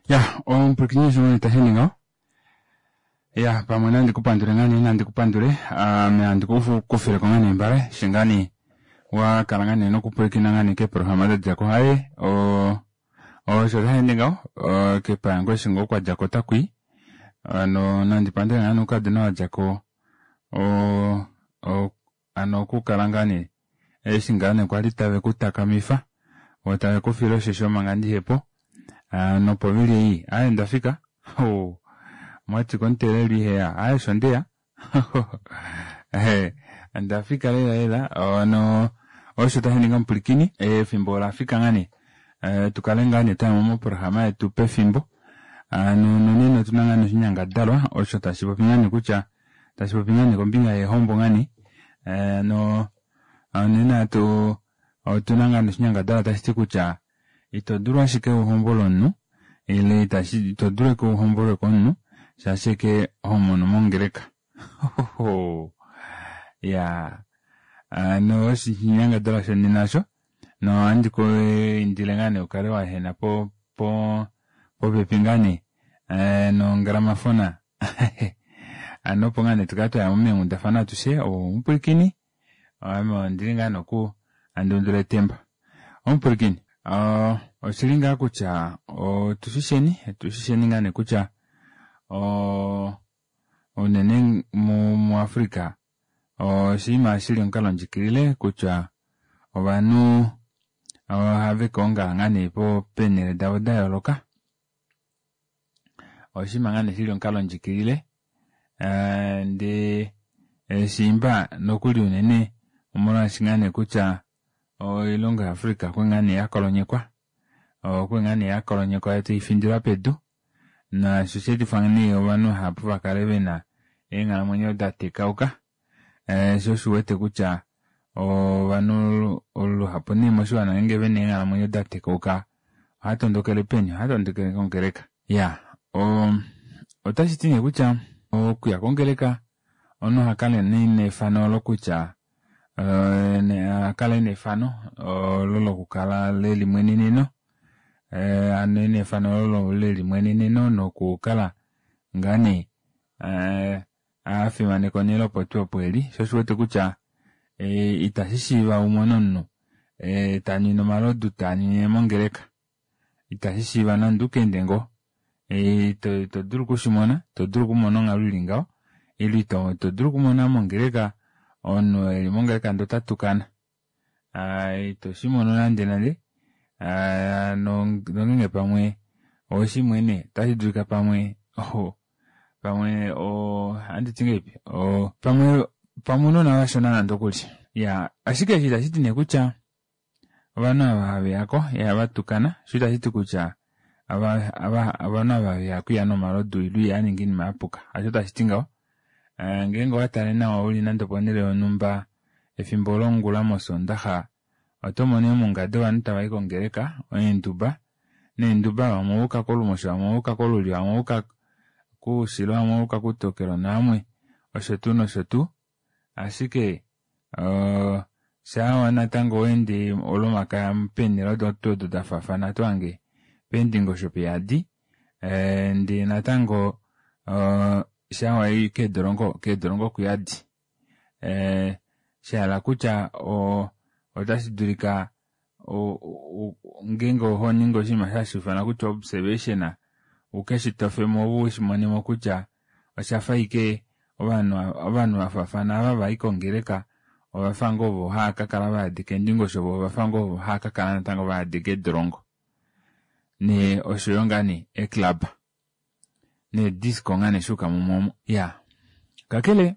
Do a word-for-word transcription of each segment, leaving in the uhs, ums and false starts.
Ya omupwilikini osho tashi ende ngaho. Ya pamwe nandi kupandule ngaa nee nandi kupandule ame handi kufileko ngaa nee mbale eshi ngaa nee wakala ngaa nee nokupwilikina ngaa nee keeprograma dadjako aaye osho tashi ende ngaho kepayango eshi ngoo kwadjako otakwii hano nandi pandule ngaa nee oukadona vadjako hano okukala ngaa nee eshi ngaa nee kwali tave kutakamifa voo tave kufile oshisho manga ndihepo nopovili ei aaye ondafika omwati komuteelelwa iheya aaye osho ndeya ondafika lela lela hano osho tashiningi omupwilikini efimbo olafika ngaa nee tukale ngaa nee twayamo moprograma yetu pefimbo hano nonena otuna ngaa nee oshinyangadalwa osho tashipopi ngaa nee kutya tashipopi ngaa nee kombinga yeehombo ngaa nee hano nena otuna ngaa nee oshinyangadalwa tashiti kutya ito dulu ashike uhombole omunhu ile ito dulu ashike uhombolwe komunhu shaashi ashike homono mongeleka iyaa hano osho oshinyangadalwa shonena osho nohandi kwiindile ngaa nee ukale waehena po popepi ngaa nee nongramafona hano opo ngaa nee tukale twayamo meenghundafana atushe omupwilikini ame ondili ngaa nee oku handi undula etemba omupwilikini oshili ngaa kutya otushisheni otushisheni ngaa nee kutya unene muAfrica oshinima shili omukalo ndjikilile kutya ovanhu ohave kaongala ngaa nee peenele davo dayooloka oshinima ngaa nee shili omukalo ndjikilile ndee shiimba nokuli unene omolwaashi ngaa nee kutya oilongo ya Africa okwali ngaa nee yakolonyekwa okwali ngaa nee yakolonyekwa yoo taifindilwa pedu naasho oshaetifa nee ovanhu vahapu vakale vena eenghalamwenyo datekauka shoo osho uwete kutya ovanhu luhapu nee moshiwana ngeenge vena eenghalamwenyo datekauka ohaatondokele peni ohaatondokele kongeleka iyaa otashiti nee kutya okuya kongeleka omunhu ohakala nee ena efano olo kutya ohakala ena efano olo lokukala lelimweneneno hano ena efano olo lelimweneneno nokukala ngaa nee afimaneka onele opo tuu opo eli shoo osho uwete kutya ita shishiiva umone omunhu tanwine omalodu tanwine mongeleka ita shishiiva nande ukaende ngoo ito dulu okushimona ito dulu okumona onghalo ili ngaho ile ito dulu okumona mongeleka omunhu eli mongeleka ndee otatukana ito shimono nande nande nongenge pamwe oweshimwene ota shidulika pamwe pamwe ohanditi ngahelipi pamwe pamwe ounona vashona nande okuli iyaa ashike eshi itashiti nee kutya ovanhu ava haveyako ihavatukana shoo itashiti kutya ovanhu ava haveyako ihavanhu omalodu ile ihavaningwa oinima yapuka hasho tashiti ngaho ngeenge owatale nawa uli nande oponele yonhumba efimbo longula mosondaxa otomono eemunga dovanhu tavayi kongeleka eenduba neenduba vamwe ovayuka kolumosho vamwe ovayuka kolulyo vamwe ovayuka koushilo vamwe ovayuka koutokelo navamwe osho tuu nosho tuu ashike shaa natango owaende olomakaya peenele odo tuu odo dafaafana otohange peendingosho peyadi ndee natango shaa wayi keedolongo keedolongo okuyadi shahala kutya otashi dulika ngeenge ohoningi oshinima osho hashiifanwa kutya observation ukeshitofemo ove ushimonemo kutya oshafa ashike ovanhu vafaafana ava vayi kongeleka ovafa ngoo ovo hava kakala vayadi keendingosho voo ovafa ngoo ovo hava kakala natango vayadi keedolongo nee oshoyo ngaa nee eeclub nee disco ngaa nee shuuka mumwe omo iyaa kakele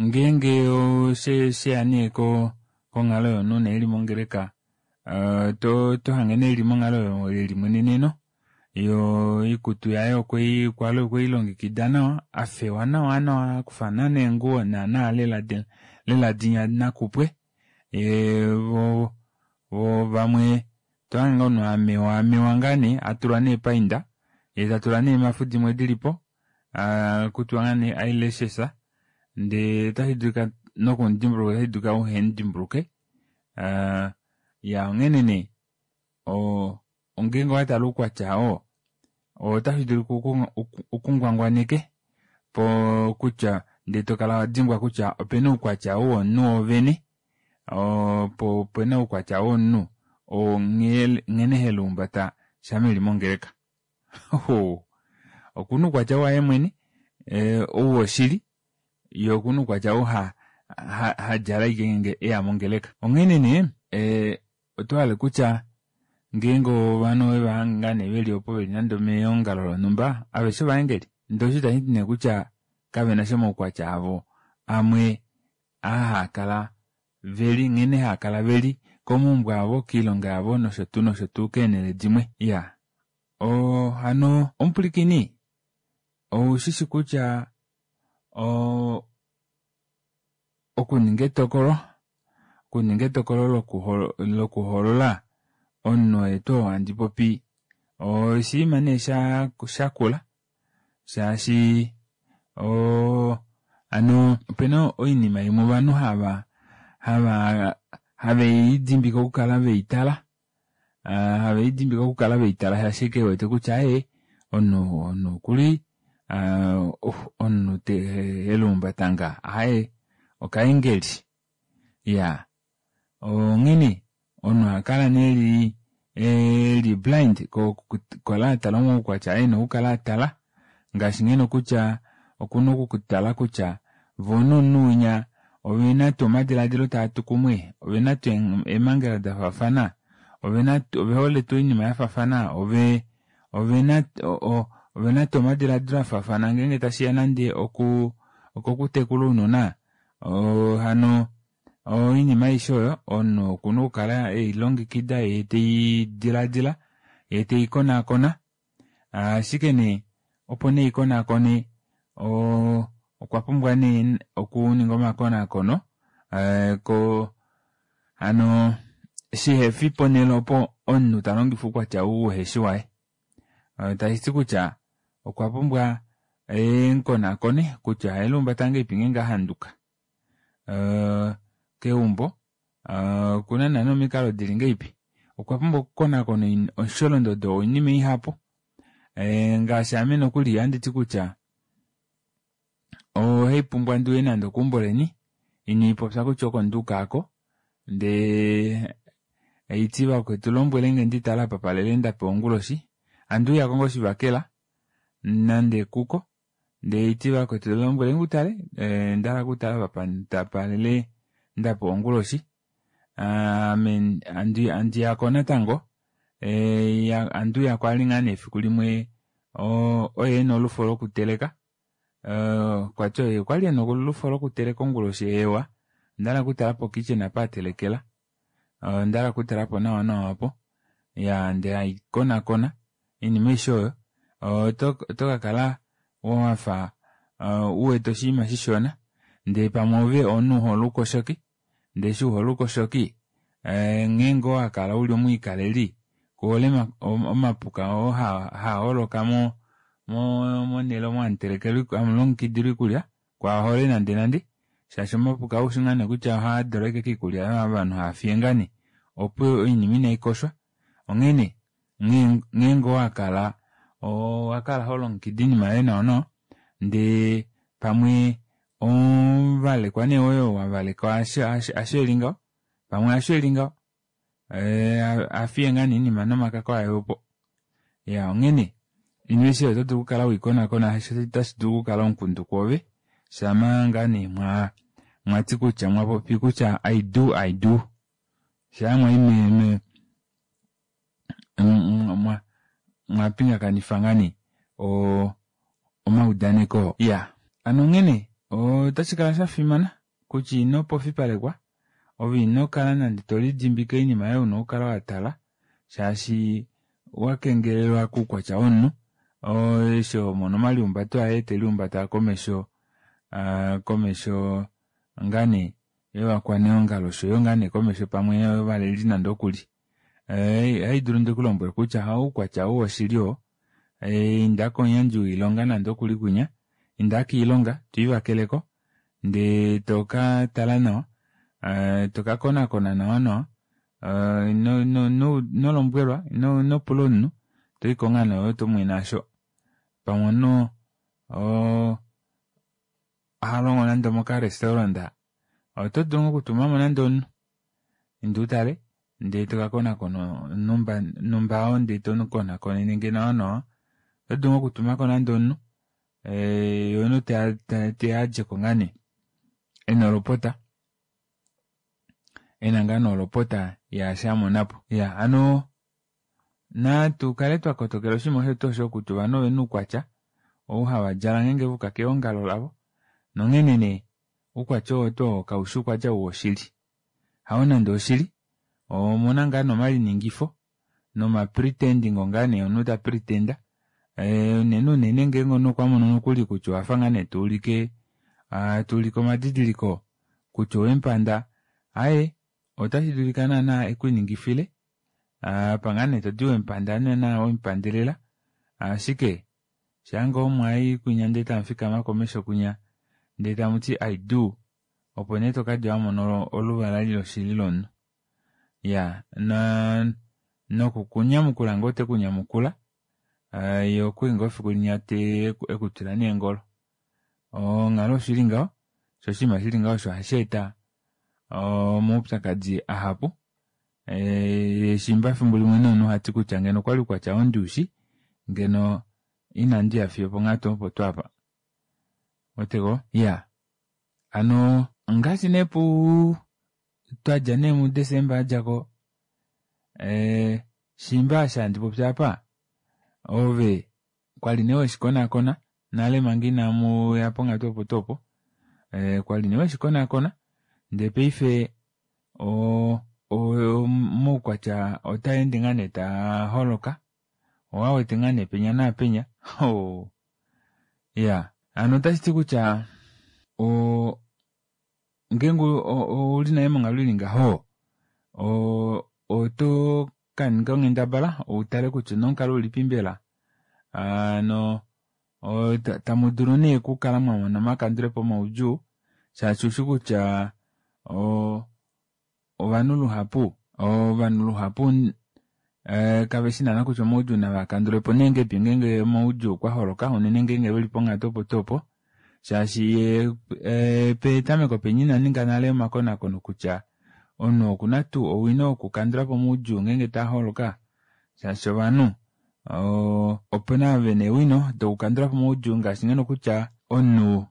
ngeenge osheya nee konghalo yomunhu nee eli mongeleka otohange nee eli monghalo yelimweneneno yoo oikutu yaye okweilongekida nawa afewa nawa nawa akufa naana eenguwo naana lela dinya nakupwe voo vamwe tohange ngoo omunhu amewa amewa ngaa nee atulwa neepainda yee tatula neemhafu dimwe dilipo hakutiwa ngaa nee eyelashes ndee otashidulika nokumudimbuluka ota shidulika uhemudimbuluke iyaa onghene nee ngeenge owatale oukwatya oo Otashi dulu ukungwangwaneke po kutya ndee tokala wadimbwa kutya opena oukwatya ou womunhu woovene po opena oukwatya womunhu oo nghene heluumbata shama eli mongeleka. Okuna oukwatya waye mwene ou woshili yee okuna oukwatya ou hadjala ashike ngeenge eya mongeleka. Onghene nee otohale kutya ngeenge ovanhu owevahange ngoo nee veli opo veli nande omeongalo lonhumba aveshe ovaengeli ndee osho itashiti nee kutya kavenasha omaukwatya avo amwe aa haakala veli nghene haakala veli komaumbo avo koilonga yavo noshotuu noshotuu keenele dimwe. Iyaa oo hano omupwilikini oushishi kutya oo okuninga etokolo okuninga etokolo lokuhoolola omunhu oye tuu oo handi popi oshinima nee shakula shaashi oo hano opena oinima imwe ovanhu hava hava havelidimbike okukala veitala havelidimbike okukala veitala shaashi ashike vewete kutya aaye omunhu omunhu okuli omunhu heluumbata ngaha aaye okaengeli iyaa onghene omunhu ohakala nee eli blind kokukala atala omaukwatya oo ena okukala atala ngaashi ngeno kutya okuna okutala kutya voo nomunhu winya ovena tuu omadilaadilo taatu kumwe ovena tuu eemangela dafaafana ovehole tuu oinima yafaafana ovee ovena ovena tuu omadilaadilo afaafana ngenge tashiya nande okuu okokutekula ounona hano oinima aishe oyo omunhu okuna okukala eilongekida yee teidilaadila yee teikonakona ashike nee opo nee eikonakone oo okwapumbwa nee okuninga omakonakono koo hano shihefi ponele opo omunhu talongifa oukwatya ou uhefi waye tashiti kutya okwa pumbwa emukonakone kutya oheluumbata ngahelipi ngeenge ahanduka keumbo okuna naana omikalo dili ngahelipi okwa pumbwa okukonakona omusholondodo woinima ihapu ngaashi ame nokuli ohanditi kutya ohaipumbwa ndiuye nande okeumbo leni iniipopya kutya oko nduuka aako ndee haiti vakwetu lombwelenge nditale apa palele ndapewa onguloshi handuuyako ngoo oshivakela nande kuko ndee haiti vakwetu lombwelenge utale ondahala okutala apa palele ndapewa onguloshi ame handiyako natango handuuyako vali ngaa nee efiku limwe oye ena olufo lokuteleka okwati oye okwali ena olufo lokuteleka onguloshi eewa ondahala okutala po kitchen apa atelekela ondahala okutalapo nawa nawa aapo iyaa ndee haikonakona oinima aishe oyo otokakala wafa uwete oshinima shishona ndee pamwe ove omunhu uhole oukoshoki ndee eshi uhole oukoshoki ngeenge owakala uli omwiikaleli kuhole omapuka oo haaholoka mo monele omo hamulongekidilwa oikulya kwaahole nande nande shaashi omapuka oushi ngoo nee kutya ohaadula ashike koikulya oyo ovanhu haafiye ngoo nee opo oinima inaikoshwa onghene ngeenge owakala owakala holongekida oinima yoye nawa nawa ndee pamwe omuvalekwa nee woye oo wavalekwa hasho eli ngaho pamwe hasho eli ngaho ohafiye ngoo nee oinima nomakako aye opo iyaa onghene oinima aishe oyo otodulu okukala weikonakona shaashi otashi dulu okukala omukundu kwoove shama ngoo nee mwati kutya mwapopi kutya i do i do shaa mwayi me mwapingakanifa ngoo nee omaudaneko iyaa hano onghene otashikala shafimana kutya ino pofipalekwa ove inokala nande tolidimbike oinima aayo una okukala watala shaashi owakengelelwa koukwatya womunhu eshi homono omaliumbato aye teliumbata komesho komesho ngaa nee yovakwaneongalo oshoyo ngaa nee komesho pamwe yovaleli nande okuli ohaidulu ndikulombwele kutya oukwatya ou woshili oo inda komuyandji woilonga nande okuli kwinya inda koilonga twiivakeleko ndee tokatala nawa tokakonakona nawa nawa inolombwelwa inopula omunhu toiko ngoo nee ove tomwene aasho Pamwe omunhu oo ohalongo nande omoka restaurant, oto dulu ngoo okutumamo nande omunhu inda utale ndee tokakonakona numba numba oo ndee tomukonakonene nawa nawa, oto dulu ngoo okutumako nande omunhu yee omunhu teya adjeko ngaa nee ena olopota ena ngaa nee olopota yaashi amonapo. Iyaa hano natu kale twakotokela oshinima osho tuu osho kutya ovanhu ovena oukwatya ou havadjala ngeenge vayuka keongalo lavo nonghene nee oukwatya oo tuu oo kaufi oukwatya woshili hao nande woshili omuna ngaa nee omaliningifo noma pretending ngaa nee omunhu ta pretender unene unene ngeenge omunhu okwamono nokuli kutya owafa ngoo nee tuulike tuulike omadidiliko kutya owemupanda aaye otashidulika naana ekuningifile apa ngoo nee toti wemupanda naana wemupandelela ashike shaangoo mwayi kwinya ndee tamufikama komesho kwinya ndee tamuti i do opo nee tokadja wamona oluvala eli loshili lomunhu. Iyaa naa nokukunyamukula ngoo tekunyamukula yee okwali ngoo efiku linya ekutwila neengolo. Onghalo osho ili ngaho shoo oshinima shili ngaho osho hasheeta omaupyakadi ahapu yee shiimba efimbo limwe omunhu ohati kutya ngeno okwali oukwatya oo ndiushi ngeno ina ndiya fiyo oponghatu opo tuu apa. Ouweteko iyaa hano ongaashi nee puu twadja nee mu december adjako ee shiimba eshi handi popi aapa ove kwali nee weshikonakona nale manga inamuya ponghatu opo tuu opo kwali nee weshikonakona ndee paife oo omaukwatya otaende ngoo nee taaholoka owuwawete ngoo nee penya naapenya oo iyaa hano otashiti kutya oo ngeenge ouli nale monghalo ili ngaho oo oto kaninga onghendabala utale kutya onomukalo ulipi mbela hano tamudulu nee okukala mwamona omakandulepo omaudjuu shaashi ushikutya oo ovanhu luhapu ovanhu luhapu kaveshi naana kutya omaudjuu navakandulepo nee ngahelipi ngeenge omaudjuu okwaholoka unene ngeenge veli ponghatu opo tuu opo shaashi petameko penya inaninga nale omakonakono kutya omunhu okuna tuu owino yokukandulapo omaudjuu ngeenge taaholoka shaashi ovanhu opena ava vena eewino dokukandulapo omaudjuu ngaashi ngeno kutya omunhu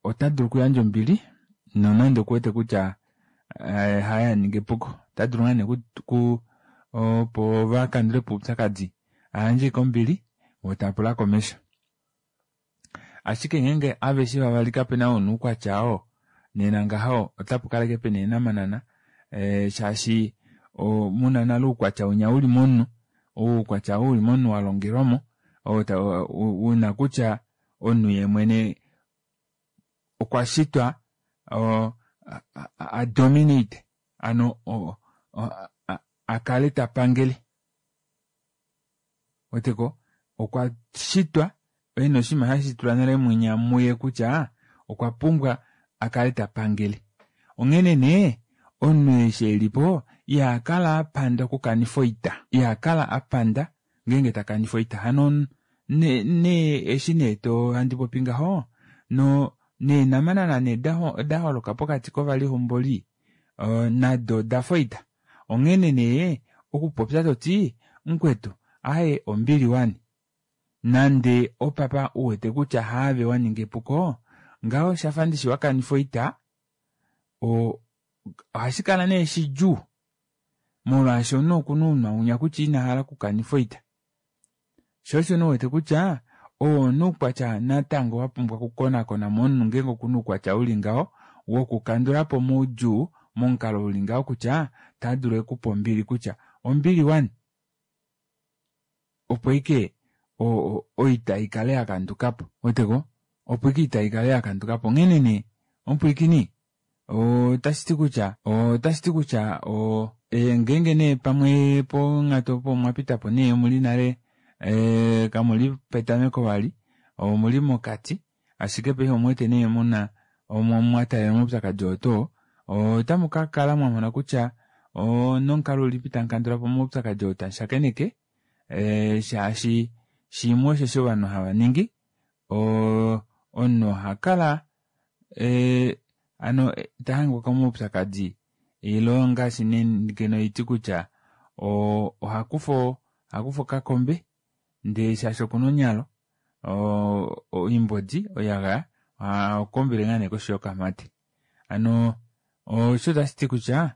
otadulu okuyandja ombili nonande okuwete kutya haye aninga epuko otadulu ngoo nee opo vakandulepo oupyakadi ayandje ashike ombili voo tavapula komesho. Ashike ngeenge aveshe vavali kapena ou ena oukwatya oo nena ngaho otapukala ashike pena eenamanana shaashi muna nale oukwatya winya uli momunhu oukwatya ou uli momunhu walongelwamo oo una kutya omunhu yeemwene okwashitwa adominate hano akale tapangele ouweteko okwashitwa ena oshinima shashitulwa nale munya muye kutya okwapumbwa akale tapangele. Onghene nee omunhu eshi elipo ihakala apanda okukanifa oita ihakala apanda ngeenge takanifa oita hano nee eshi nee handi popi ngaho noo neenamanana nee daholoka pokati kovalihomboli nado odafa oita onghene nee okupopya toti mukwetu aaye ombili wani nande opapa uwete kutya haave waninga epuko ngaho oshafa ndishi wakanifa oita oo ohashikala nee shidjuu molwaasho omunhu okuna ounwa winya kutya inahala okukanifa oita shoo osho nee uwete kutya oo oukwatya natango wapumbwa okukonakona momunhu ngeenge okuna oukwatya uli ngaho wokukandulapo omaudjuu momukalo uli ngaho kutya tadulu ekupe ombili kutya ombili wani opo ashike oita ikale yakandukapo ouweteko opo ashike oita ikale yakandukapo onghene nee omupwiikini otashiti kutya otashiti kutya ngeenge nee pamwe ponghatu opo omwapitapo nee omuli nale kamuli petameko vali omuli mokati ashike paife omuwete nee muna mwataalela omaupyakadi oo tuu oo otamukakala mwamona kutya onomukalo ulipi tamukandulapo omaupyakadi oo tamushakeneke shaashi Shimwe osheshi ovanhu hava ningi oo omunhu ohakala ee hano tahangwa komaupyakadi ilo ngaashi ngeno haiti kutya ohakufa ohakufa okakombe ndee shaashi okuna onyalo oimbodi oiyagaya ohakombele ngoo nee koshi yokamate. Hano osho otashiti kutya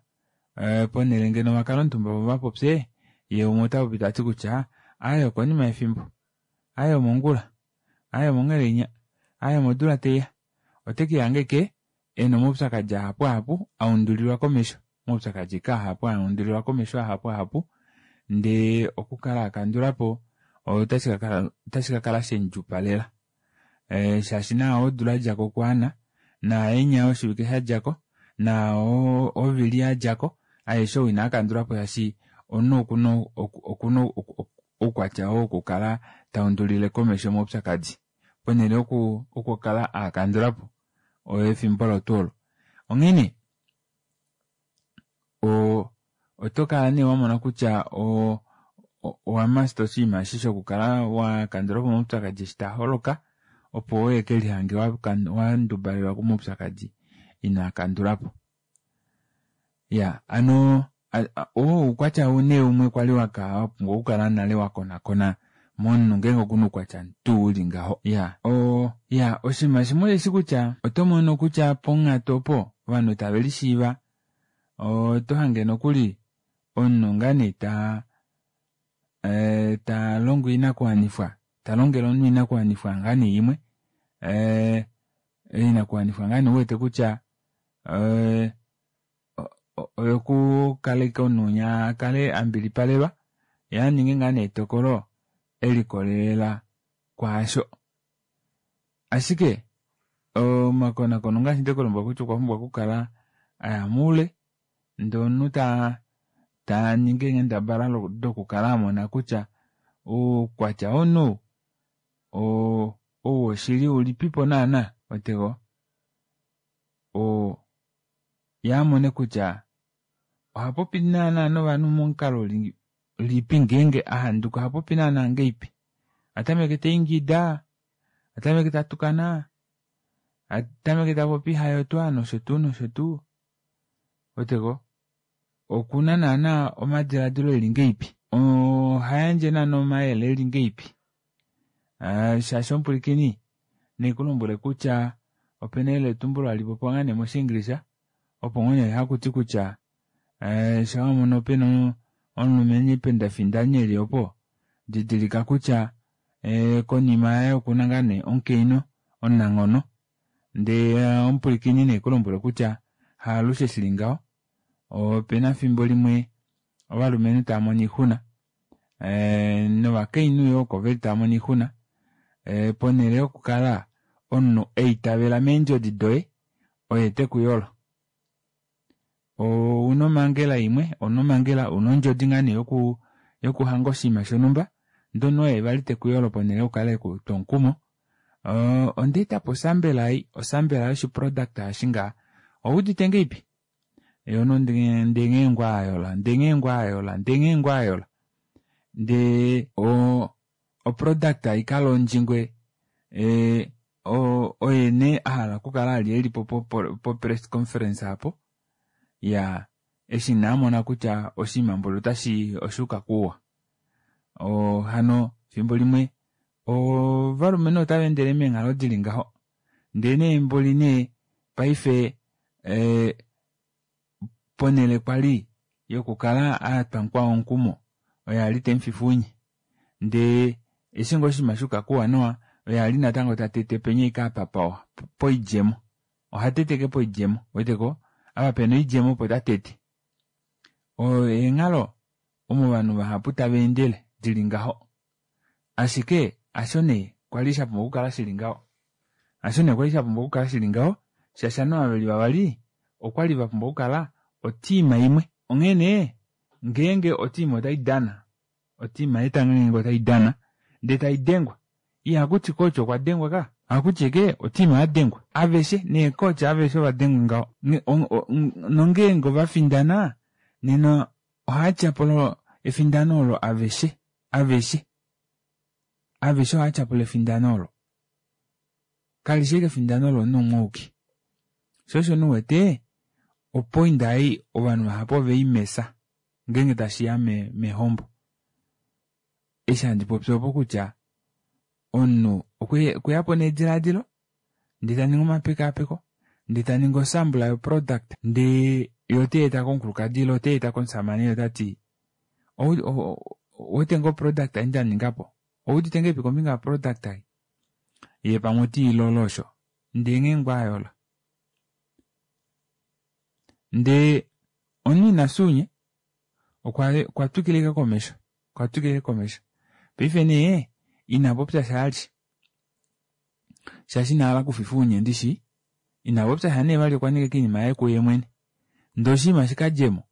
ponele ngeno vakale omutumba voo vapopye yee umwe otapopi tati kutya aaye okonima yefimbo aaye omongula aaye omongheleinya aaye omodula taiya otekelihanga ashike ena omaupyakadi ahapu ahapu aundulilwa komesho omaupyakadi ashike ahapu aundulilwa komesho ahapu ahapu ndee okukala akandulapo otashi kakala shemudjuupalela shaashi naa odula yadjako okwaana naaenya yoshivike shadjako naao ovili yadjako aeshe oo inaakandulapo shaashi omunhu okuna oukwatya oo wokukala taundulile komesho omaupyakadi ponele yokukala aakandulapo efimbo olo tuu olo. Onghene oo otokala nee wamona kutya oo owamaster oshinima eshi shokukala wakandulapo omaupyakadi eshi taaholoka opo uhekelihange wandubalelwa komaupyakadi inoakandulapo. Iyaa hano oo oukwatya nee umwe kwali wapumbwa okukala nale wakonakona momunhu ngeenge okuna oukwatya tuu uli ngaho. Iyaa oo iyaa oshinima shimwe osheshi kutya otomono kutya ponghatu opo ovanhu tave lishiiva otohange nokuli omunhu ngaa nee taa talongo oinakuwanifwa talongele omunhu oinakuwanifwa ngoo nee imwe oinakuwanifwa ngoo nee uwete kutya oyokukala ashike omunhu winya akale ambilipalelwa yee aninge ngoo nee etokolo elikolelela kwaasho. Ashike omakonakono ongaashi ndekulombwela kutya okwapumbwa okukala aya moule ndee omunhu taningi eenghendabala dokukala amona kutya oukwatya womunhu ou woshili ulipipo naana ouweteko oo yee amone kutya ohapopi naana novanhu momukalo ulipi ngeenge ahanduka ohapopi naana ngahelipi ohatameke taingida ohatameke tatukana ohatameke tapopi hayootwa noshotuu noshotuu ouweteko okuna naana omadilaadilo eli ngahelipi ohayandje naana omayele eli ngahelipi shaashi omupwilikini naikulombwele kutya opena eyeletumbulo hali popiwa ngoo nee moshingilisha opo ngoo nee hakuti kutya shaa wamono pena omulumenhu ependa findani eli opo didilika kutya konima yaye okuna ngoo nee omukainhu omunanghono ndee omupwilikini naikulombwele kutya haalushe shili ngaho opena efimbo limwe ovalumenhu taamono oixuna novakainhu yoo oko veli taamono oixuna ponele yokukala omunhu aitavela meendjodi doye oye tekuyolo. Ouna omangela imwe ouna omangela una ondjodi ngoo nee yokuhanga oshinima shonumba ndee omunhu oye vali tekuyolo ponele yokukala ekutwa omukumo ondaetapo osambela ei osambela yoshiproduct eshi ngaha owuudite ngahelipi yee omunhu ndee nghee ngoo ayola ndee nghee ngoo ayola ndee nghee ngoo ayola ndee oproduct ikalonjingwe oye nee ahala okukala ali elipo po press conference aapo iyaa eshi nee amona kutya oshinima mboli otashi oshuuka kouwa hano efimbo limwe ovalumenhu otavaendele meenghalo dili ngaho ndee nee mboli nee paife ponele kwali yokukala atwa mukwao omukumo oye ali temufifa ounye ndee eshi ngoo oshinima shayuka kouwanawa oye ali natango tatete penya ashike apa pawa poidjemo ohatete ashike poidjemo ouweteko apa pena oidjemo opo tatete oyo eenghalo omo ovanhu vahapu tavaendele dili ngaho ashike hasho nee kwali shapumbwa okukala shili ngaho hasho nee kwali shapumbwa okukala shili ngaho shaashi ovanhu ava veli vavali okwali vapumbwa okukala oteam imwe. Onghee nee ngeenge oteam otaidana oteam yetanga ngeenge otaidana ndee taidengwa ihakuti coach okwa dengwa kaya ohakuti ashike oteam yadengwa aveshe neecoach aveshe ovadengwa ngaho nongeenge ovafindana nena ohaatyapula efindano olo aveshe aveshe Aveshe ohava tyapula efindano olo. Kalishi ashike efindano lomunhu umwe auke. Sho osho nee uwete opoinda ei ovanhu vahapu oveimesa ngeenge tashiya mehombo. Eshi handi popi opo kutya omunhu okweyapo nedilaadilo ndee taningi omapekaapeko ndee taningi osambula yoproduct ndee yee oteyeeta komukulukadi ile oteyeeta komushamane otati ouwete ngoo product ei ndaningapo owuudite ngahelipi kombinga yoproduct ei yee pamwe otiilolo osho ndee nghee ngoo ayola ndee omunhu inafya ounye okwa twikila ashike komesho okwatwikila ashike komesho paife nee inapopyasha vali shaashi inahala okufifwa ounye ndishi inapopyasha nee vali okwaninga ashike oinima yaye kuye mwene ndee oshinima shikadjemo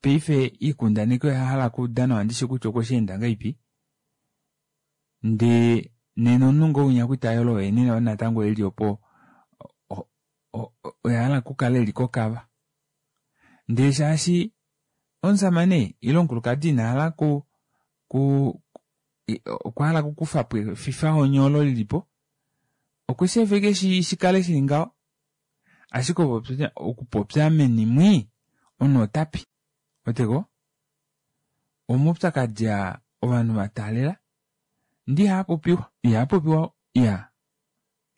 paife oikundaneki oyahala okuuda nawa ndishi kutya okwesheenda ngahelipi ndee nena omunhu ngoo winya kwali tayolo oye nee natango eli opo oye ahala okukala eli kokava ndee shaashi omushamane ile omukulukadi inahala ku ku okwahala okukufapo efifahoni olo lilipo okwesheefa ashike shikale shili ngaho ashike okupopya meni mwii omunhu otapi ouweteko omaupyakadi aa ovanhu vataalela ndee ihaapopiwa ihaapopiwa iyaa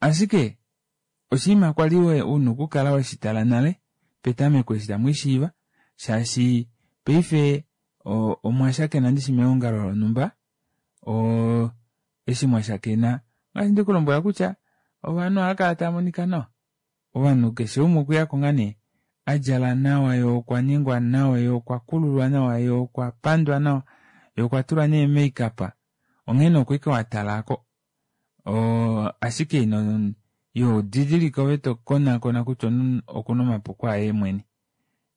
ashike oshinima kwali una okukala weshitala nale petameko eshi tamwiishiiva shaashi paife omwashakena ndishi meongalo lonumba oo eshi mwashakena ongaashi ndekulombwela kutya ovanhu ohaakala taamonika nawa ovanhu keshe umwe okweyako ngoo nee adjala nawa yee okwaningwa nawa yee okwakululwa nawa yee okwapandwa nawa yee okwatulwa nee makeup onghee oko ashike watala aako oo ashike ino ihodidilike ove tokonaakona kutya omunhu okuna omapuko aye mwene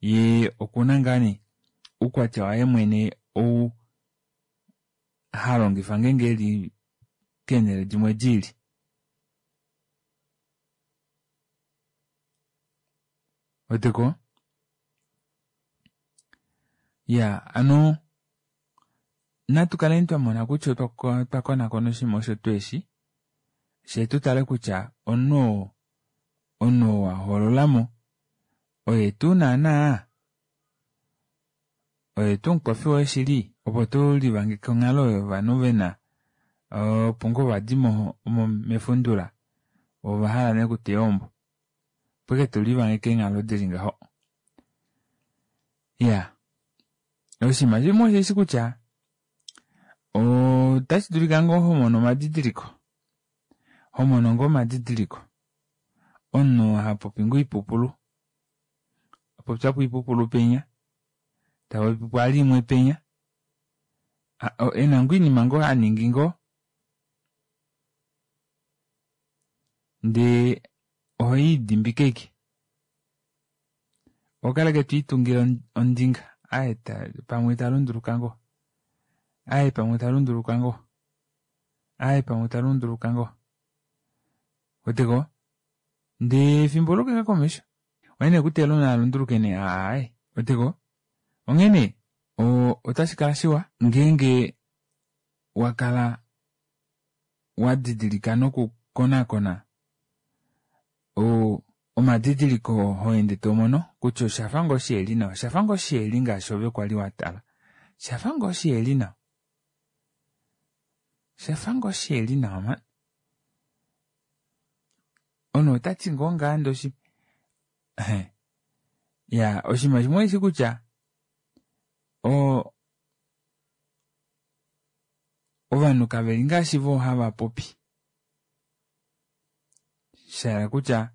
yee okuna ngaa nee oukwatya waye mwene ou halongifa ngeenge eli keenele dimwe diili. Ouweteko iyaa hano natukaleni twamona kutya otwa konakona oshinima osho twoo eshi fyee tutale kutya omunhu oo omunhu oo wahoololamo oye tuu naana oye tuu omukwafi woye shili opo tulivangeke onghalo oyo yovanhu vena opo ngoo vadi mefundula voo ovahala nee okuteya ohombo opo ashike tulivangeke eenghalo dili ngaho iyaa oshinima shimwe osheshi kutya otashidulika ngoo homono omadidiliko homono ngoo omadidiliko omunhu hapopi ngoo oipupulu apopyapo oipupulu penya tapopipo vali imwe penya ena ngoo oinima ngoo haningi ngoo ndee oholidimbike ashike ohokala ashike twiitungile ondinga aaye pamwe talunduluka ngoo aaye pamwe talunduluka ngoo aaye pamwe talunduluka ngoo ouweteko ndee efimbo oluuka ashike komesho oye nee okuteelela omunhu alunduluke nee aaye ouweteko onghene otashikala shiwa ngeenge wakala wadidilika noku konakona omadidiliko oo hoende tomono kutya oshafa ngoo shiheli nawa oshafa ngoo shiheli ngaashi ove kwali watala oshafa ngoo shiheli nawa oshafa ngoo shiheli nawa mani omunhu otati ngoo ngaha ndee iyaa oshinima shimwe osheshi kutya oo ovanhu kaveli ngaashi voo havapopi shahala kutya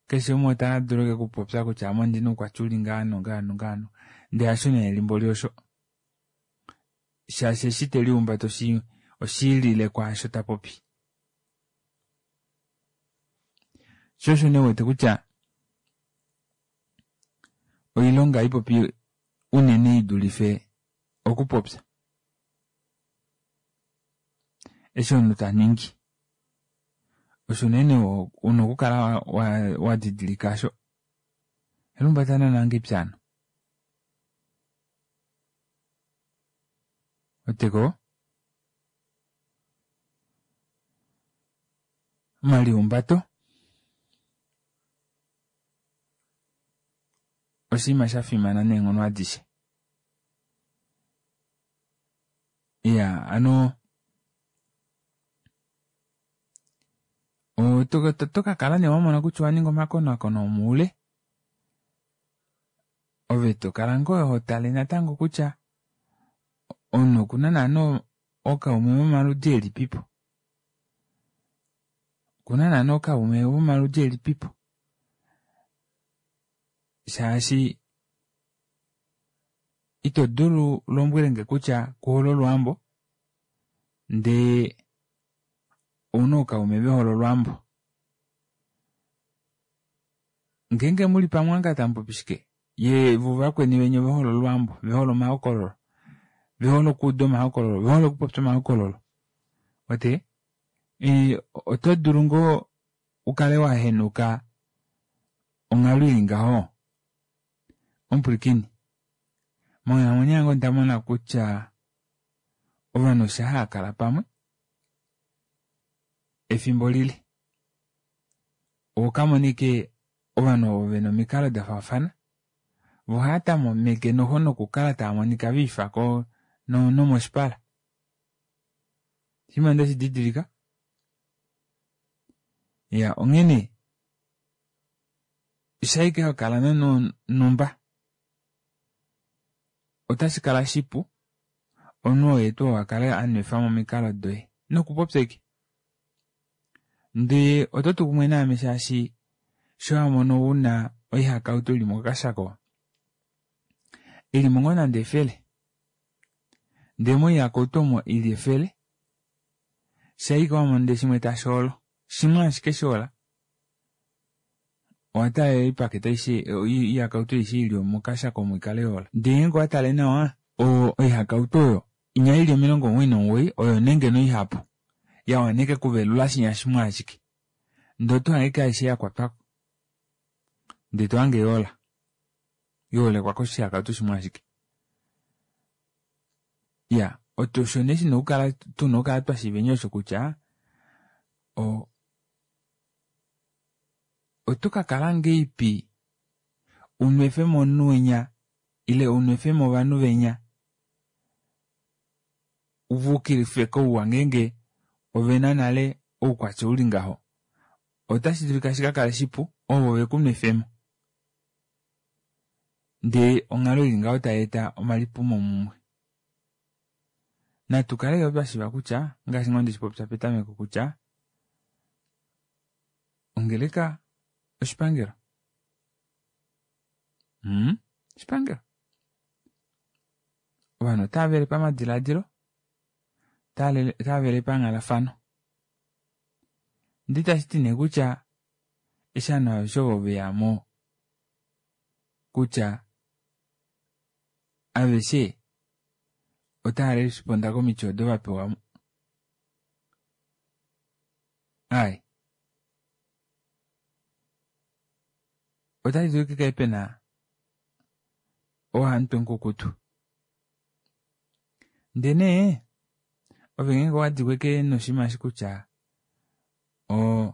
keshe umwe otadulu ashike okupopya kutya ame ondina oukwatya uli ngaha nongaha nongaha ndee hasho nee mboli osho shaashi eshi telihumbata oshiilile kwaasho tapopi shoo osho nee uwete kutya oilonga ohaipopi unene idulife okupopya eshi omunhu taningi osho unene una okukala wadidilika aasho ohelihumbata naana ngahelipi hano ouweteko Omalihumbato oshinima shafimana neenghono adishe. Iyaa hano oto kakala nee wamona kutya owaninga omakonaakono omoule ove tokala ngoo hotale natango kutya omunhu okuna naana ookaume vomaludi elipipo okuna naana ookaume vomaludi elipipo shaashi ito dulu ulombwelenge kutya kuhole olwaambo ndee ouna ookaume vehole olwaambo ngeenge muli pamwe omukala tamupopi shike yee voo vakweni venya ovehole olwaambo ovehole omahokololo ovehole okuuda omahokololo ovehole okupopya omahokololo uwete oto dulu ngoo ukale wahenuka onghalo ili ngaho omupwilikini monghalamwenyo yange ondamona kutya ovanhu shaa haakala pamwe efimbo lile ohokamona ashike ovanhu ovo vena omikalo dafaafana voo ohaatameke nokukala taamonika viifa nomoshipala oshinima ndeshi didilika iyaa onghene shaike hokala nomunhu wonhumba ota shikala shipu omunhu oye tuu oo akale anwefamo omikalo doye nokupopya ashike ndee ototu kumwe naame shaashi shaa wamono una oihakautu ili mokashako ilimo ngoo nande efele ndee moihakautu omo ili efele shaike wamono ndee shimwe tashoolo shimwe ashike shoola owataalela oipakete aishe oihakautu aishe ili mokashako omo ikale yoola ndee ngeenge owatale nawa oihakautu oyo inya ili omilongo omugoyi nomugoyi oyo nee ngeno ihapu yawana ashike okuvelula shinya shimwe ashike ndee otohange ashike aishe yakwatwako ndee tohange yoola yoolekwa koshihakautu shimwe ashike iyaa osho nee shina okukala tuna okukala twashiiveni osho kutya oo oto kakala ngahelipi unwefemo omunhu winya ile unwefemo ovanhu venya uvaukilife kouwa ngeenge ovena nale oukwatya uli ngaho ota shidulika shikakale shipu ovo vekunwefemo ndee onghalo ili ngaho tayeeta omalipumo mumwe natukale yoo twashiiva kutya ngaashi ngoo ndeshipopya petameko kutya ongeleka oshipangelo mmm oshipangelo ovanhu otaavele pamadilaadilo otaavele panghalafano ndee itashiti nee kutya eshi ovanhu aveshe ovo veyamo kutya aveshe otava responde komiti odo vapewa aaye otashidulu ashike pikale pena oo hamutwe mukukutu ndee nee ove ngeenge owadikwa ashike noshinima eshi kutya oo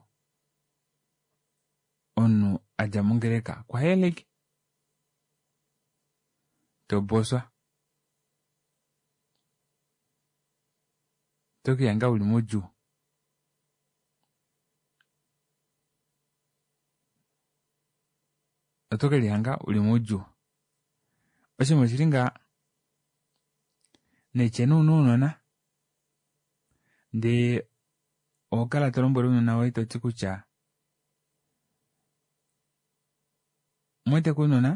omunhu adja mongeleka okwahela ashike toboswa oto kelihanga uli moudjuu oto kelihanga uli moudjuu oshinima oshili ngaha naitye nee una ounona ndee ohokala tolombwele ounona voye toti kutya omuweteko ounona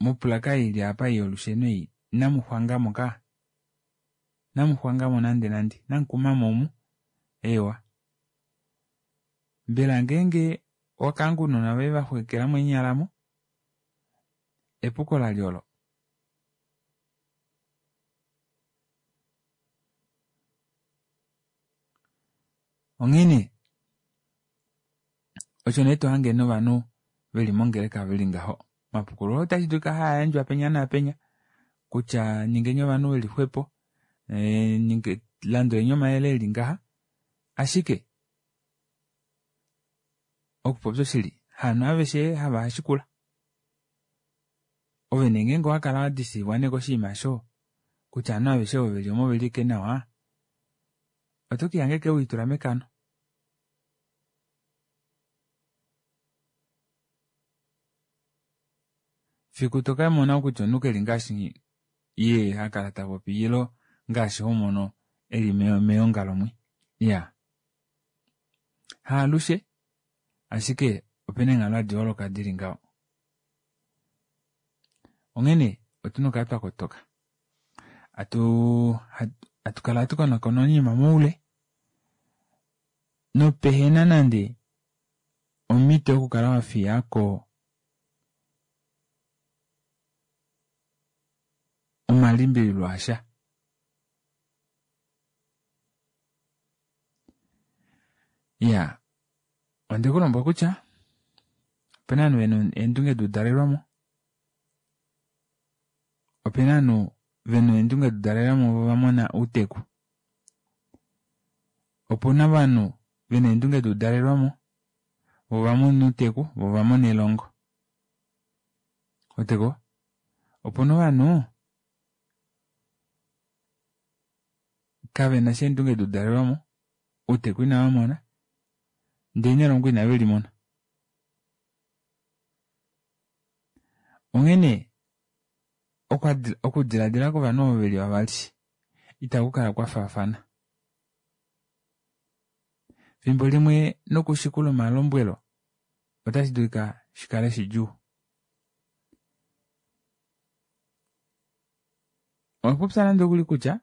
moplaka ei ili aapa yolusheno ei inamuxwangamo kaa inamuxwangamo nande nande inamukumamo omu eewa mbela ngeenge owakahange ounona voye vaxwekelamo eenyala aamo epuko lalye olo onghene osho nee tohange novanhu veli mongeleka veli ngaho omapukululo ota shidulika haayandjwa penya naapenya kutya ningeni ovanhu veli xwepo landuleni omayele eli ngaha. Ashike okupopya oshili haanhu aveshe hava shikula. Ove nee ngeenge owakala wadisiivwa nee koshinima osho kutya ovanhu aveshe ovo veli omo oveli ashike nawa, oto kelihanga ashike welitula mekano. Fiku tokamona kutya omunhu keli ngaashi yee hakala tapopi ile ngaashi homono eli meongalo mwi. Iyaa haalushe ashike opena eenghalo hadi holoka dili ngaho. Onghene otuna okukala twakotoka hatuu hatukala hatukonakona oinima moule nopehena nande omito yokukala wafiyako omalimbililo asha. Iyaa ondekulombwela kutya opena ovanhu vena eendunge doudalelwamo, opena ovanhu vena eendunge doudalelwamo voo ovamona outeku, opena ovanhu vena eendunge doudalelwamo voo ovamona outeku voo ovamona elongo. Ouweteko opena ovanhu kavenasha eendunge doudalelwamo outeku inavamona ndee nelongo inavelimona. Onghene okudilaadila kovanhu ovo veli vavali ita kukala kwafaafana. Efimbo limwe nokushikula omalombwelo otashidulika shikale shidjuu. Owapopya nande okuli kutya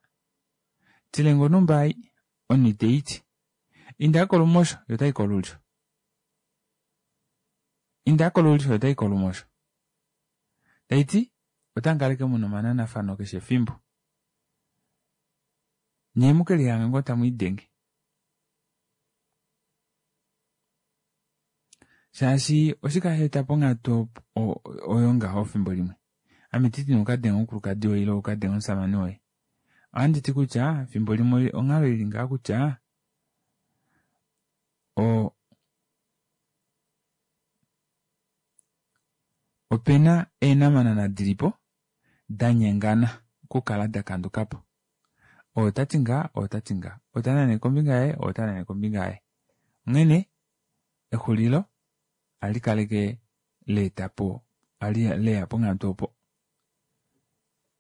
tilenge onumba ei omunhu iteiti, inda kolumosho yee otai kolulyo, inda kolulyo yee otai kolumosho, tashiti otamukala ashike muna omananafano keshe efimbo nyee mukelihange ngoo tamwiidenge shaashi oshike hasheeta ponghatu oyo ngaho efimbo limwe ame itanditi nee ukadenge omukulukadi woye ile ukadenge omushamane woye, ohanditi kutya efimbo limwe onghalo ili ngaha kutya oo opena eenamanana dilipo danyengana okukala dakandukapo. Ou otati ngaha ou otati ngaha, ou otanane kombinga yaye ou otanane kombinga yaye, onghene exulilo ohalikala ashike laetapo leya ponghatu opo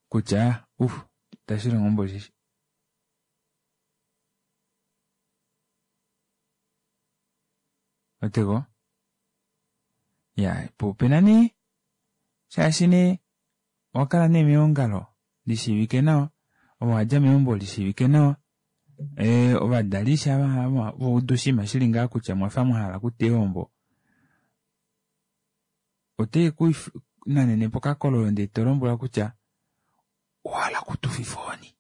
kutya uf itashilongo mboli eshi. Ouweteko iyaa poo opena nee shaashi nee owakala nee meongalo lishiivike nawa ove owadja meumbo lishiivike nawa ee ovadali eshi vaudu oshinima shili ngaha kutya omwafa mwahala okuteya ohombo, otekunanene pokakololo ndee tolombwelwa kutya owahala okutufifa ohoni,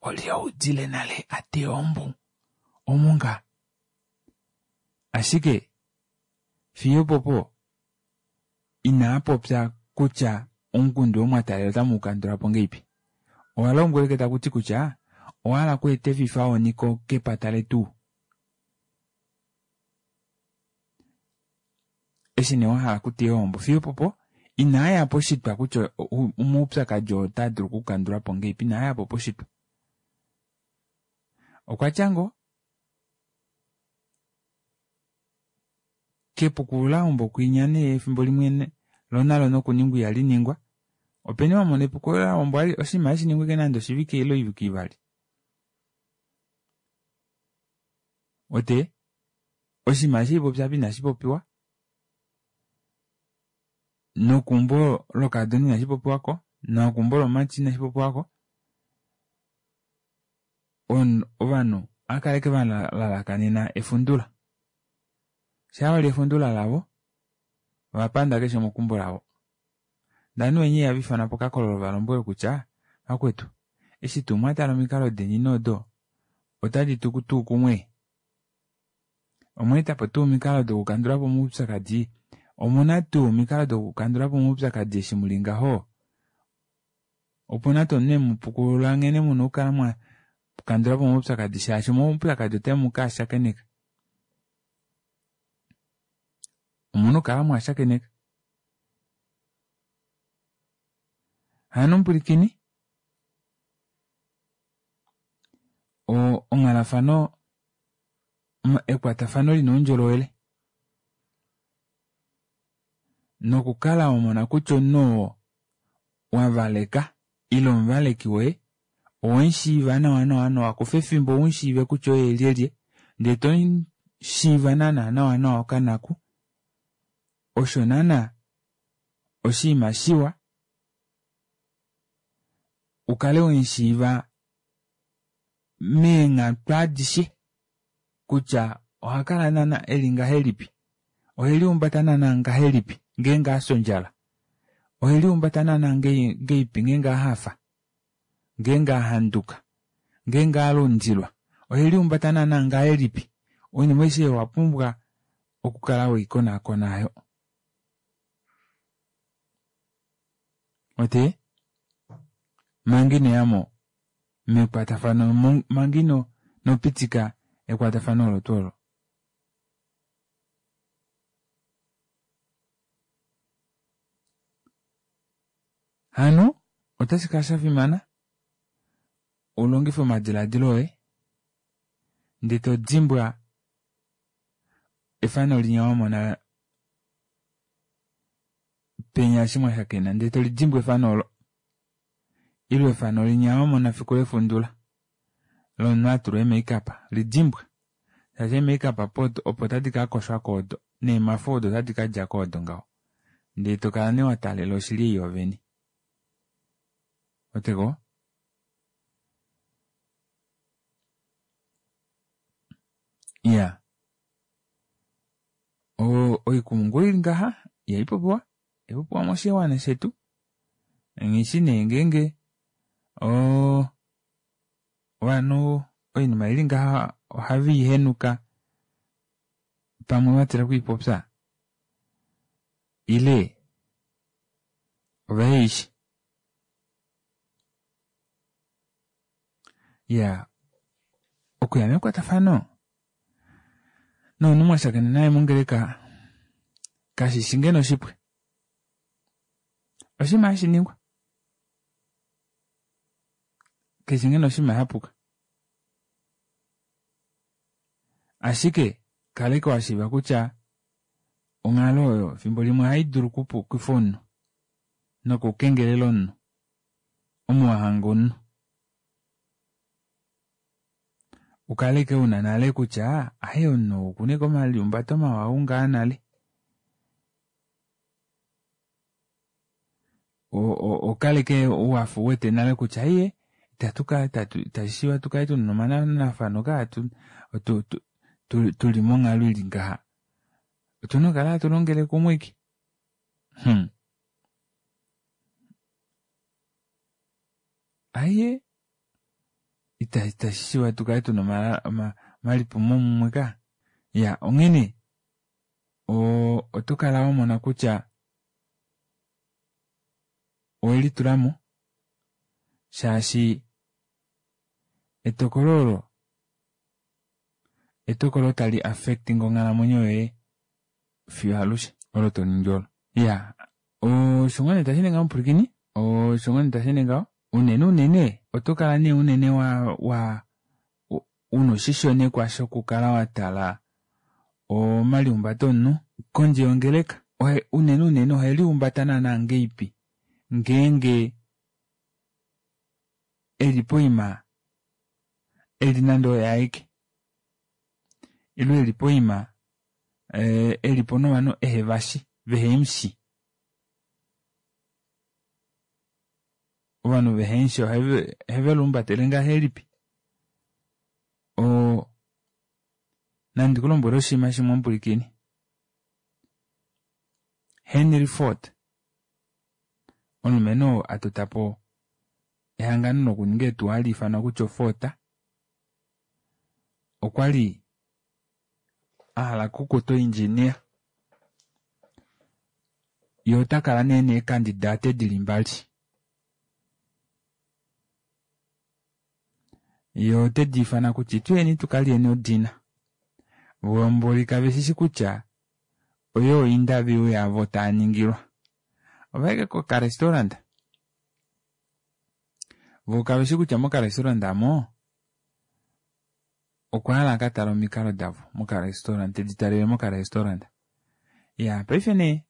olye waudile nale ateya ohombo omungaa. Ashike fiyo opopo inaapopya kutya omukundu oo mwataalela otamuukandulapo ngahelipi. Owalombwelwa ashike takuti kutya owahala okweeta efifohoni kepata letu eshi nee wahala okuteya ohombo fiyo opopo inaaya poshitwa kutya omaupyakadi oo otaadulu okukandulwapo ngahelipi inaayapo poshitwa. Okwatya ngoo kepukululahombo kwinya nee efimbo limwe loo nalo nokuningwa ihaliningwa, openi wamona epukululahombo oshinima hashiningwa ashike nande oshivike ile oivike ivali. Uwete oshinima eshi haipopya aapa inashipopiwa nokeumbo lokakadona inashipopiwako nokeumbo lomumati inashipopiwako ovanhu ohaakala ashike valalakanena efundula. Shaa vali efundula lavo ovapanda keshe umwe okeumbo lavo. Ndee ovanhu venya ihava ifanwa pokakololo valombwelwe kutya vakwetu eshi tuu mwatala omikalo deni nee odo otadi tu tuu kumwe? Omweetapo tuu omikalo dokukandulapo omaupyakadi? Omuna tuu omikalo dokukandulapo omaupyakadi eshi muli ngaho? Opena tuu omunhu emupukulula nghene muna okukala Kandulapo omaupyakadi shaashi omaupyakadi otemu kaashakeneka. Omuna okukala mwaashakeneka. Hano mupwilikini onghalafano ekwatafano lina oundjolowele nokukala wamona kutya omunhu oo wavaleka ile omuvaleki woye owemushiiva nawa nawa kufa efimbo umushiive kutya oye lyelye ndee tomushiiva naana nawa nawa okanaku osho naana oshinima shiwa ukale wemushiiva meenghatu adishe kutya ohakala naana eli ngahelipi oheliumbata naana ngahelipi ngeenge afya ondjala oheliumbata naana ngahelipi ngeenge ahafa ngeenge ahanduka ngeenge alundilwa oheliumbata naana ngahelipi oinima aishe oyo owapumbwa okukala weikonaakona aayo uwete manga inoyamo mekwatafano manga inopitika ekwatafano olo tuu olo. Hano otashikala shafimana ulongife omadilaadilo oye ndee todimbwa efano linya wamona penya eshi mwashakena ndee tolidimbwa efano oolo ile efano linya wamona efiku lefundula lomunhu atula ee make up lidimbwa shaashi ee make up opo tadi kakoshwako odo neemafo odo otadi kadjako odo ngaho ndee tokala nee wataalela oshili ei yoovene ouweteko iyaa oikumungu ili ngaha ihaipopiwa ihaipopiwa moshiwana shetu nghishi nee ngeenge oo ovanhu oinima ili ngaha ohaveihenuka pamwe vatila okwiipopya ile oveheishi. Iyaa okuya mekwatafano nomunhu mwashakena naye mongeleka kashishi ngeno shipu oshinima hashiningwa kashishi ngeno oshinima shapuka ashike kala ashike washiiva kutya onghalo oyo efimbo limwe ohaidulu okupukifa omunhu nokukengelela omunhu omo wahanga omunhu ukale ashike una nale kutya aaye omunhu ou okuna ashike omaliumbato mawa ou ngaa nale oukale ashike wafa uwete nale kutya aaye itashishiiva tukale tuna omananafano kaa tuli monghalo ili ngaha otuna okukala hatu longele kumwe ashike hmm aaye itashishiiva tukale tuna omalipumomumwe kaa iyaa onghene otokala wamona kutya owelitulamo shaashi etokolo olo etokolo tali affecting onghalamwenyo yoye fiyo alushe olo toningi olo iyaa osho ngoo nee tasheende ngaho mupwilikini osho ngoo nee tasheende ngaho unene unene otokala nee unene wa wa una oshishonekwa shokukala watala omaliumbato omunhu kondje yongeleka unene unene oheliumbata naana ngahelipi ngeenge eli poima eli nande oye aeke ile eli poima elipo novanhu ehevashi vehemushi ovanhu vehemushi oheveluumbatele ngahelipi oo nandikulombwele oshinima shimwe mupwilikini Henry Ford omulumenhu oo atotapo ehangano lokuninga eetuwa hali ifanwa kutya oFord okwali ahala okukuta oindjinia yee otakala nee neekandidate dili mbali Ye ote di ifana kutya ituyeni tukalyeni odina. Voo mboli kave shishi kutya oyo interview yavo taa ningilwa. Ovaike kokarestaurant. Voo kaveshi kutya mokarestaurant amo okwa hala akatale omikalo davo mokarestaurant, tedi talele mokarestaurant. Iyaa paife nee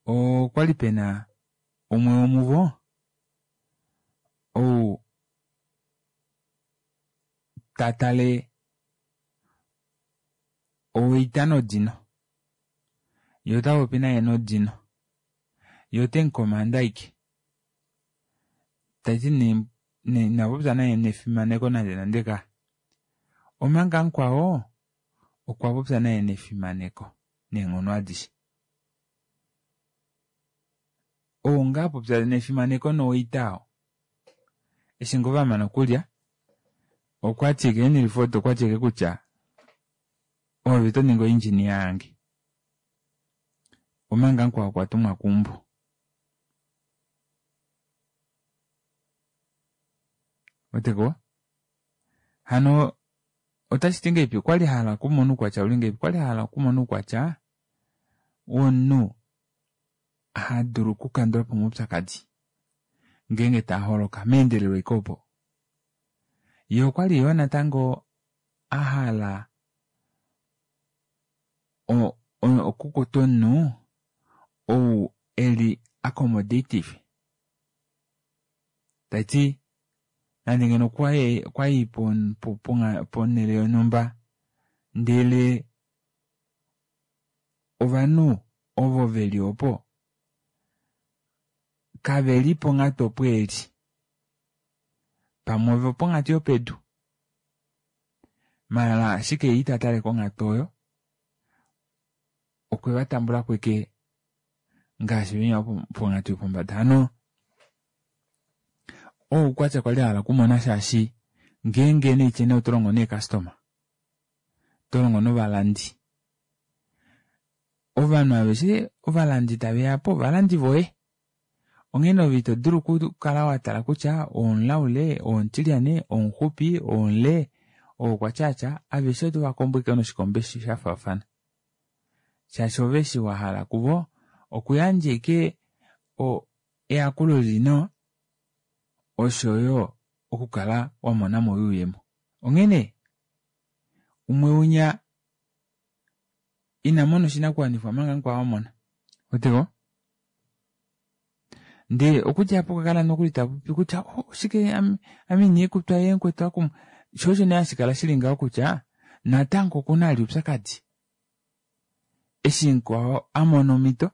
okwali pena umwe womuvo ou tatale owaiter nodino yee otapopi naye nodino yee otemukomanda ashike tashiti nee inapopya naye nefimaneko nande nande kaya. Omanga mukwao okwapopya naye nefimaneko neenghono adishe. Ou ngoo apopya nefimaneko nowaiter oo eshi ngoo vamana okulya okwati ashike Henry Ford okwati ashike kutya ove otoningi o engineer yange omanga mukwao okwa tumwa keumbo. Ouweteko hano otashiti ngahelipi okwali ahala okumona oukwatya uli ngahelipi okwali ahala okumona oukwatya womunhu hadulu okukandulapo omaupyakadi ngeenge taaholoka meendelelo ashike opo. Yee okwali yoo natango ahala okukuta omunhu ou eli accommodative tashiti nande ngeno okwayi ponele yonumba ndele ovanhu ovo veli opo kaveli ponghatu opo eli pamwe ovoponghatu yopedu maala ashike yee itatale konghatu oyo okwe vatambulako ashike ngaashi venya voponghatu yopombada. Hano oo oukwatya kwali ahala okumona shaashi ngeenge naitye nee otolongo neecustomer otolongo novalandi ovanhu aveshe ovalandi taveyapo ovalandi voye onghene ove ito dulu okukala watala kutya ou omulaule ou omutilyane ou omuxupi ou omule ou okwatya aveshe otovakombo ashike noshikombo shafaafana shaashi ove eshi wahala kuvo okuyandja ashike eyakulo lili nawa oshoyo okukala wamonamo oyuuyemo. Onghene umwe winya inamona oshinakuwanifwa omanga mukwao amona. Ouweteko ndee okudja aapo okwa kala nokuli tapopi kutya oh oshike ame inandikutwa yee mukwetu akumwa shoo osho nee hashikala shili ngaho kutya natango okuna vali oupyakadi eshi mukwao amona omito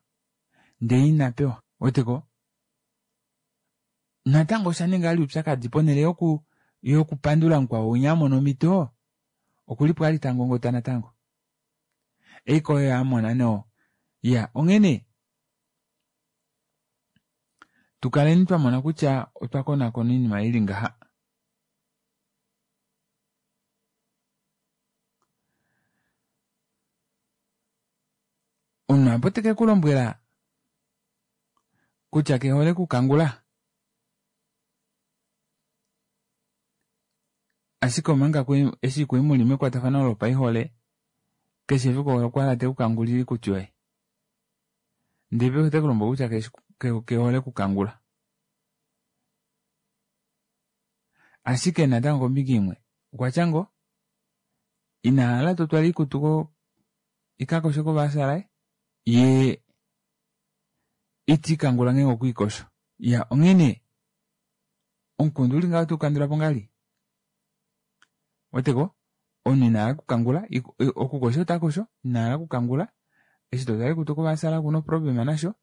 ndee inapewa. Ouweteko natango oshaninga vali oupyakadi ponele yoku yokupandula mukwao winya amona omito okulipo vali tangongota natango ashike oye amona nee iyaa onghene tukaleni twamona kutya otwa konakona oinima ili ngaha. Omunhu aapo tekekulombwela kutya kehole okukangula ashike omanga eshi kwali muli mekwatafano lopaihole keshe efiku okwahala tekukangulile oikutu yoye ndee paife otekulombwele kutya kehole okukangula ashike natango kombinga imwe okwatya ngoo inahala totwala oikutu ikakoshwe kovaasa laye yee itiikangula ngeenge okwiikosho. Iya onghene omukundu uli ngaho ohatu ukandulapo ngahelipi ouweteko omunhu inahala okukangula okukosha otakosho inahala okukangula eshi totwala oikutu kovaasa okuna oproblem nasho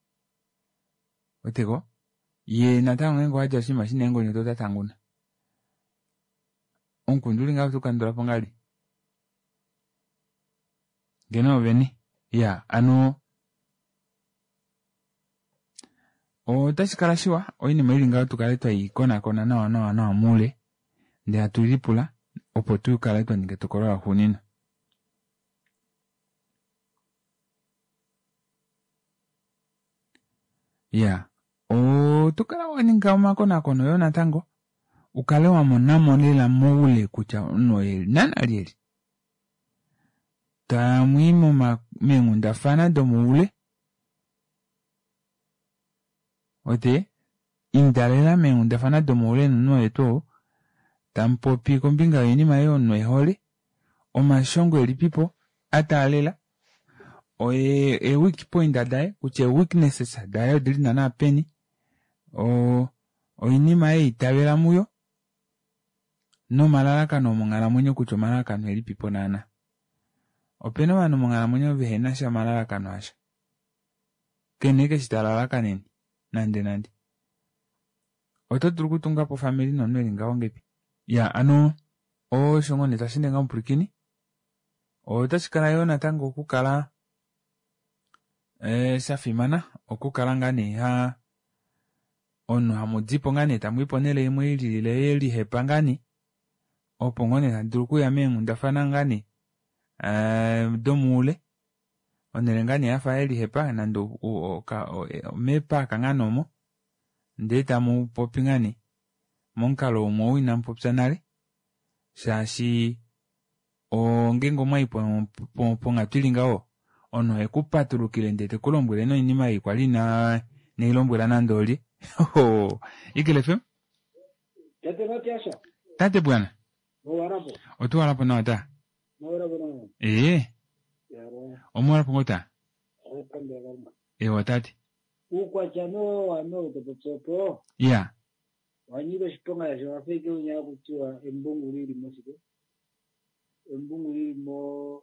ouweteko yee natango ngeenge owadjala oshinima shina eengonyoto otatanguna. Omukundu uli ngaho ohatu ukandulapo ngahelipi ngeno ovene iyaa hano otashikala shiwa oinima ili ngaho tukale tweikonakona nawa nawa nawa moule ndee hatu lipula opo tukale twaninga etokolo laxuuninwa. Iyaa otokala waninga omakonakono yoo natango Ukale wamonamo lela moule kutya omunhu oye naana lyelye. Tamwii meenghundafana domoule. Ote inda lela meenghundafana domoule nomunhu oye tuu tamupopi kombinga yoinima ei omunhu ehole, omashongo elipipo ataalela, oye e weak point daye kutya weaknesses daye odili naana peni, o oinima ei itavela muyo nomalalakano omonghalamwenyo kutya omalalakano elipipo naana. Opena ovanhu monghalamwenyo vehena sha omalalakano asha. Kene keshi talalakanene nande nande. Oto dulu okutunga po ofamili nomunhu eli ngaho ngepi. Ya ano osho ngoo nee tashi ende ngaho omupwilikini. Otashi kala yoo natango okukala e, shafimana okukala ngaa nee ha omunhu hamudipo ngaa nee tamui ponhele imwe ililile yelihepa ngaa nee opo ngoo nee tamu dulu okuya meenghundafana ngaa nee domoule onhele ngaa nee yafa yelihepa nande meepaaka ngaa nee omo ndee tamu popi ngaa nee momukalo umwe ou inamupopya nale shaashi ongeenge omwayi ponghatu ili ngaho omunhu oheku patulukile ndee tekulombwele noinima ei kwali ina neilombwela nande olye. Eagle F M? Tate Matiasha. Tate bwana. Mowarapo. Otuwarapo nawa ta? Mowarapo nawa. Ee. Omowarapo ngoo ta? Okambe kalunga. Ewa tate. Uukwatya no wano topopyopo. Ya. Wanyika oshiponga shaashi owa fa ike unya kutiwa embungu lili moshike. Embungu lili mo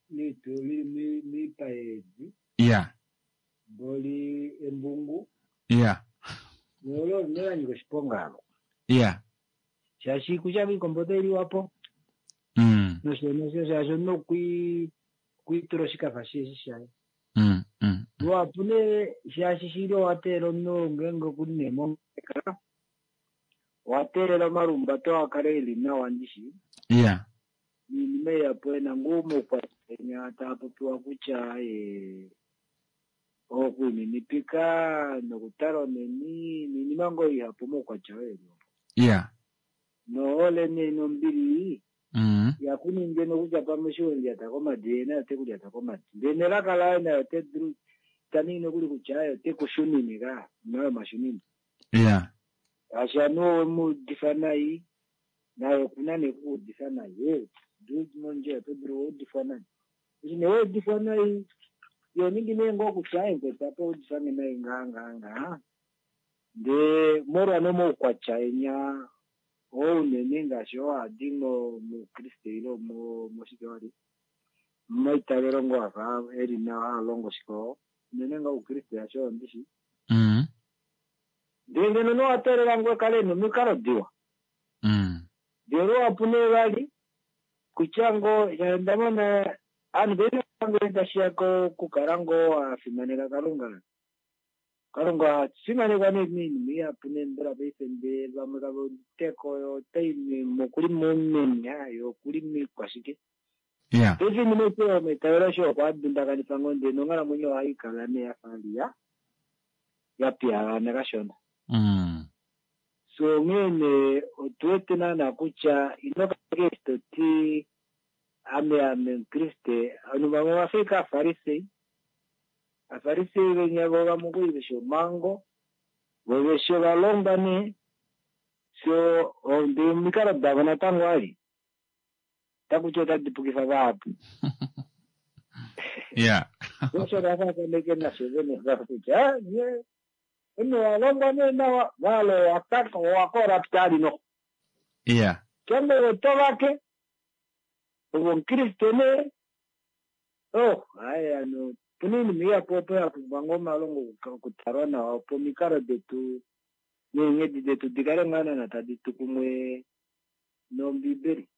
miitu lili miipa yeedi. Ya. Mboli embungu. Ya. Nolo ne oshiponga alo. Ya. Shaashi kutya miikombo otayi liwapo. Mm. Nosho nosho shaashi omunhu okwi okwiitula oshikafa sheshi shaye. Mm. Mm. Luhapu nee shaashi shili owa teelela omunhu ngeenge okuli nee mongeleka owa teelela omalumbato a kale eli nawa ndishi. Ya. Niinima ihapu ena ngoo omaukwatya taa popiwa kutya ee okwiininipika nokutala oneni niinima ngoo ihapu omaukwatya oyo eli opo. Ya. Nohole nee nombili Mm. yakuninge nokutya pamwe eshi welyata komadi ye naye ote kulyata komadi. Ndele nelaka laye naye ote dulu taningi nokuli kutya aye ote kushunine ka nayo omashunine. Ya. Shaashi anuwa owemu udifa nai naye okuna nee kuudifa nai. Ee mondjila oto dulu okuudifwa nai. Eshi nee waudifwa nai yo ningi nee ngoo kutya aye mukwetu apa oudifange nai ngaha ngaha ngaha. Ndee molwa nomaukwatya enya oo unene ngaashi oo hadi moukriste ile moshike wali momaitavelo ngoo afa eli nawa haalongo shike oo unene ngoo oukriste shaashi oyo ndishi. Mm. Ndee ngeno nowa teelela ngoo kale ena omikalo diwa. Mm. Ndee luhapu nee vali kutya ngoo onda mona aanhu paife ngele tashiya kokukala ngoo wa fimaneka Kalunga. Kalunga oha fimanekwa nee moinima ihapu nee mbela paife ndee vamwe kave uditeko otai okuli momenya ye okuli miikwashike. Ya. Paife iinima aishe yomaitavelo aishe okwa dundakanifa ngoo ndee nonghalamwenyo ohaikala nee yafa liya ya piyagana kashona. Mm. So onghee nee otu wete naana kutya ino kala eshi toti ame ame omukriste ovanhu vamwe ovafa ike aafarisei. Aafarisei venya vo vamwe okuli veshi omhango vo veshi ovalongwa nee so ndee omikalo davo natango ali otakuti otadi pukifa vahapu. Ya. Osho vafaafaneke nasho vene kutya nye omunhu owalongwa nee nawa maala owa corrupt ali noho. Ya. Kenge oto vake ove omukriste nee oh hayi ano opuna iinima ihapu opo ya pumbwa ngoo omalongo okutalwa nawa opo omikalo detu neenghedi detu di kale ngaa naana tadi tu kumwe nombiibeli.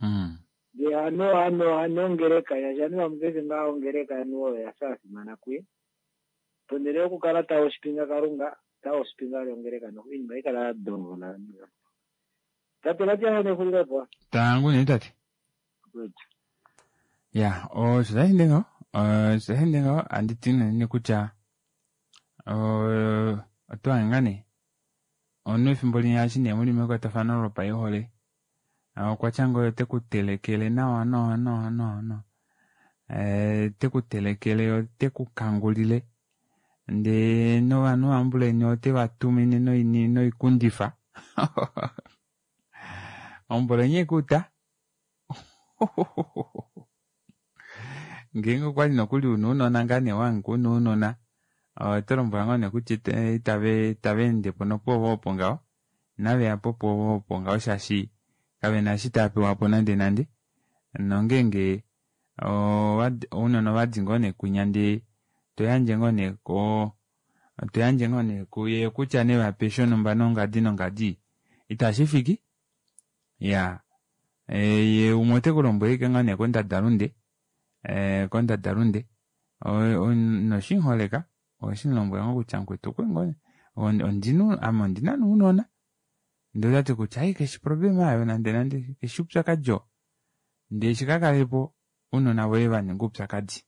Mm. Ndee hano hano hano ongeleka shaashi ovanhu vamwe paife ngaha ongeleka anuwa oyo yafa yafimana kuye. Ponhele yokukala ta woshipinga Kalunga ta woshipinga ongeleka noho oinima ohaikala ya dongola. Tate Matias nexulilepo. Tangu nee tate. Good. Ya, osho tashi ende ngaho. Osho tashi ende ngaho anditi nene kutya otwa hanga nee Omunhu efimbo linya eshi nee muli mekwatafano lopaihole okwatya ngoo ote ku telekele nawa nawa nawa nawa nawa te ku telekele ote ku kangulile ndee novanhu vambuleni ote vatumine noikundifa ombolo ekuta ngeenge okwali nokuli una ounona ngaa nee wahangika una ounona oto lombwelwa ngoo nee kutya itava endepo nopwoove opo ngaho inaveyapo pwoove opo ngaho shaashi kavena eshi taapewapo nande nande nongeenge ounona ovadi ngoo nee kwinya ndee toyandje ngoo nee ko toyandje ngoo nee kuye kutya nevape shonumba nongadi nongadi itashifiki iyaa yee umwe otekulombwele ashike ngoo nee kondadalunde ee kondadalunde inoshimuholeka oweshimulombwela ngoo kutya mukwetu ondina ame ondina nee ounona ndee otati kutya ai kaifi oproblema aayo nande nande kaifi oupyakadi oo ndee shikakalelepo ounona voye vaninga oupyakadi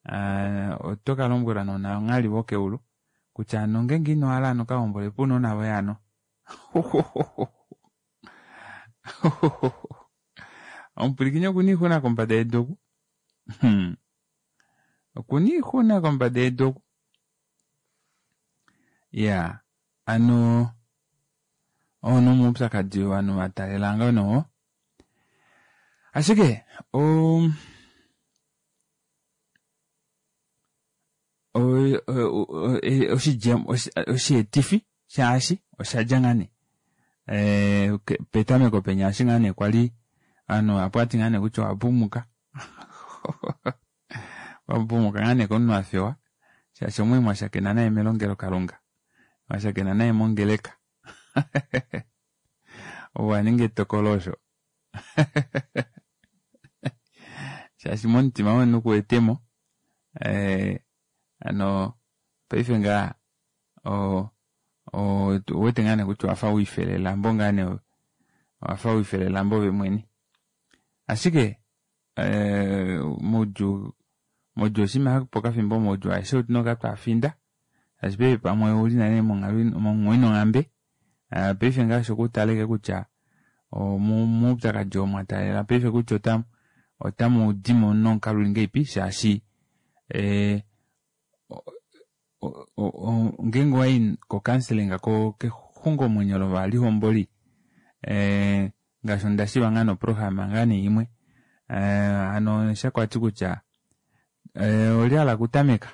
aa otokalombwelwa nounanghali vokeulu kutya hano ngeenge inohala hano kahombolepo ounona voye hano omupwilikini okuna oixuna kombada yedu oku okuna oixuna kombada yedu oku iyaa hano oo nee omaupyakadi ovanhu vataalela ngoo oo ashike oo oshidjemo osheetifi shaashi oshadja ngaa nee petameko penya eshi ngaa nee kwali ovanhu vahapu ovati ngaa nee kutya owapumuka wapumuka ngaa nee komunhu afewa shaashi omwali mwashakena naye melongelokalunga mwashakena naye mongeleka ove waninga etokolo osho shaashi momutima womunhu kuwetemo hano paife ngaha ouwete ngaa nee kutya owafa wiifela elambo ngaa nee owafa wiifela elambo ove mwene ashike moudjuu moudjuu oshiima shopokafimbo omaudjuu aeshe otuna okukala tweafinda shaashi paife pamwe ouli nale monghalo inonghambe paife ngaha osho kutala ashike kutya moupyakadi oo mwataalela paife kutya otamudimo nomukalo uli ngahelipi shaashi ngeenge owayi ko counselling kexungomwenyo lovalihomboli ngaashi ondashiiva ngoo nee oprograma ngoo nee imwe hano shakwati kutya olye ahala okutameka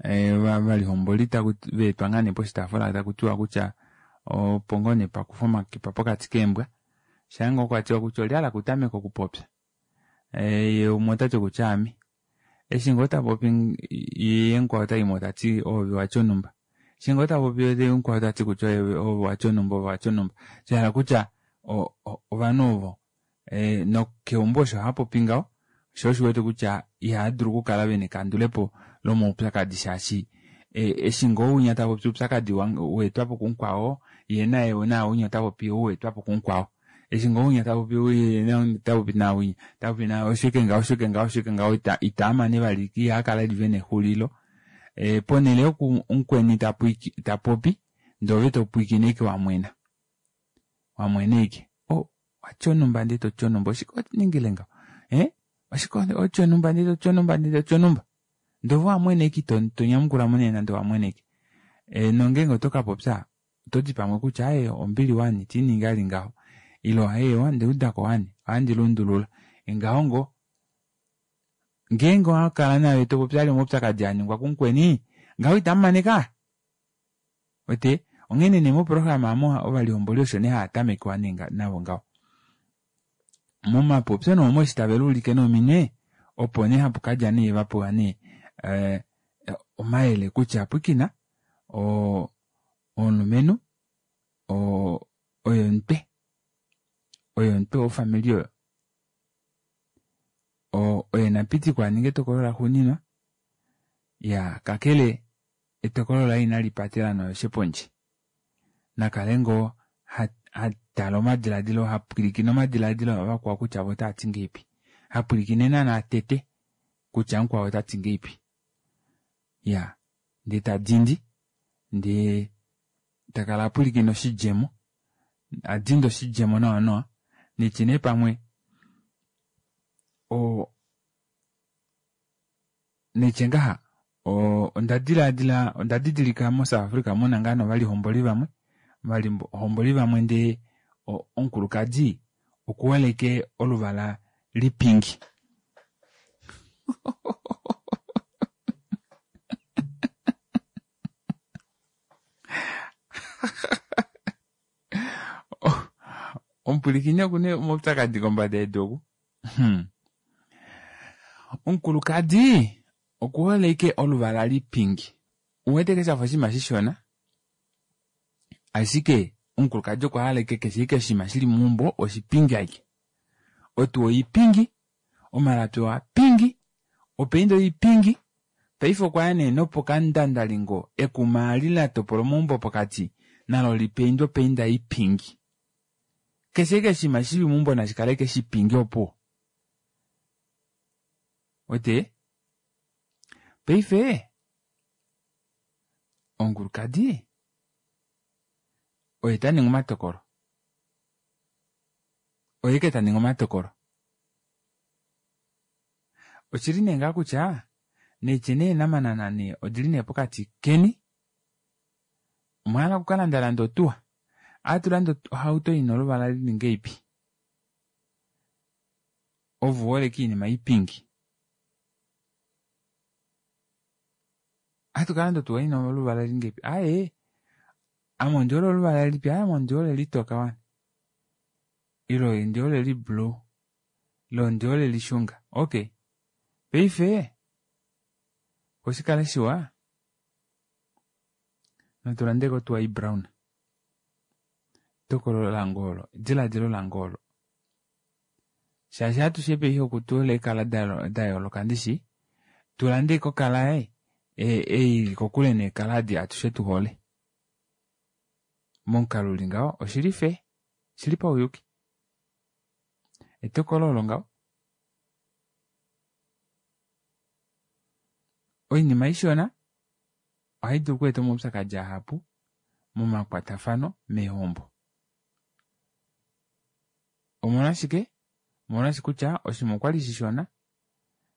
ovalihomboli vaetwa ngoo nee poshitaafula takutiwa kutya opo ngoo nee pakufwe omakipa pokati keembwa shaangoo kwatiwa kutya olye ahala okutameka okupopya yee umwe otati kutya aame eshi ngoo tapopi yee mukwao otaimo tati oove watya onumba eshi ngoo tapopi yee mukwao otati kutya oove watya onumba oove watya onumba shahala kutya ovanhu ovo nokeumbo osho haapopi ngaho shoo osho uwete kutya ihaadulu okukala vena ekandulepo lomaupyakadi shaashi eshi ngoo winya tapopi oupyakadi waetwapo kumukwao yee naye naawinya otapopi ou waetwapo kumukwao eshi ngoo winya tapopi otapopi naawinya tapopi osho ashike ngaho osho ashike ngaho osho ashike ngaho itaamane vali ihaakala vena exulilo ponele yoku mukweni tapopi ndee ove topwiikine ashike wamwena wamwena ashike oh watya onumba ndee toti onumba oshike waningile ngaho ee oshike watya onumba ndee toti onumba ndee toti onumba ndee ove owamwena ashike ito nyamukulamo nee nande owamwena ashike nongeenge otokapopya ototi pamwe kutya aaye ombili wani itiiningi vali ngaho ile hewa ondaudako wani ohandi lundulula ngaho ngoo ngeenge owakala naave topopi vali omaupyakadi aningwa kumukweni ngaho itamumane kaa uwete onghene nee moprograma aamo ovalihomboli osho nee haatamekiwa navo ngaho momapopyo nee omo eshi tave luulike nominwe opo nee hapukadja nee vapewa nee omayele kutya pwiikina omulumenhu oye omutwe oye omutwe wofamili oyo oye napitikwe aninge etokolo laxuuninwa iyaa kakele etokolo laye inalipatela noyoshe pondje nakale ngoo hatale omadilaadilo hapwilikine omadilaadilo avakwao kutya voo otaati ngahelipi hapwilikine naana tete kutya mukwao otati ngahelipi iyaa ndee tadindi Ndee takala apwilikine oshidjemo, adinde oshidjemo nawa nawa, nitye nee pamwe o nitye ngaha onda dilaadila onda didilika mo South Africa muna ngaa novalihomboli vamwe, ovalihomboli vamwe ndee omukulukadi okuholeke oluvala lipingi. Omupwilikini okuna omaupyakadi kombada yedu oku. Omukulukadi okuholeke oluvala lipingi. Uwete ke shafa oshinima shishona, ashike omukulukadi okwa hala ashike keshe ashike oshinima shili meumbo oshipingi ashike. Otuwa oipingi, omalapi oapingi, opainda oipingi, paife okwaya nee nopokandandalingo ekuma eli latopola omaumbo pokati nalo lipaindwe opainda ipingi. Keshe ashike oshinima shili meumbo nashikale ashike shipingi opuwo. Wete? Paife omukulukadi oye taningi omatokolo. Oye ke taningi omatokolo. Oshili nee ngaa kutya neetye nee namanana nee odili nee pokati keni omwahala okukalanda landa otuwa aatulanda ohauto ina oluvala lili ngeipi ove uholeke iinima ipingi atukalanda otuwa ina oluvala lili ngeipi aaye ame ondihole oluvala lilipi aaye ame ondihole litoka wani ile ondihole liblue ile ondihole lishunga okay paife oshikale shiwa natulandeko otuwa ibrown etokolo lange olo ediladilo lange olo shaashi atushe paife okutuhola eekala dayooloka ndishi tulande ashike okala ei ili kokule neekala adi atushe tuhole momukalo uli ngaho oshili fair oshili pauyuki etokolo olo ngaho oinima ishona ohai dulu okweeta omaupyakadi ahapu momakwatafano meehombo. Omolwashike? Omolwashi kutya oshinima okwali shishona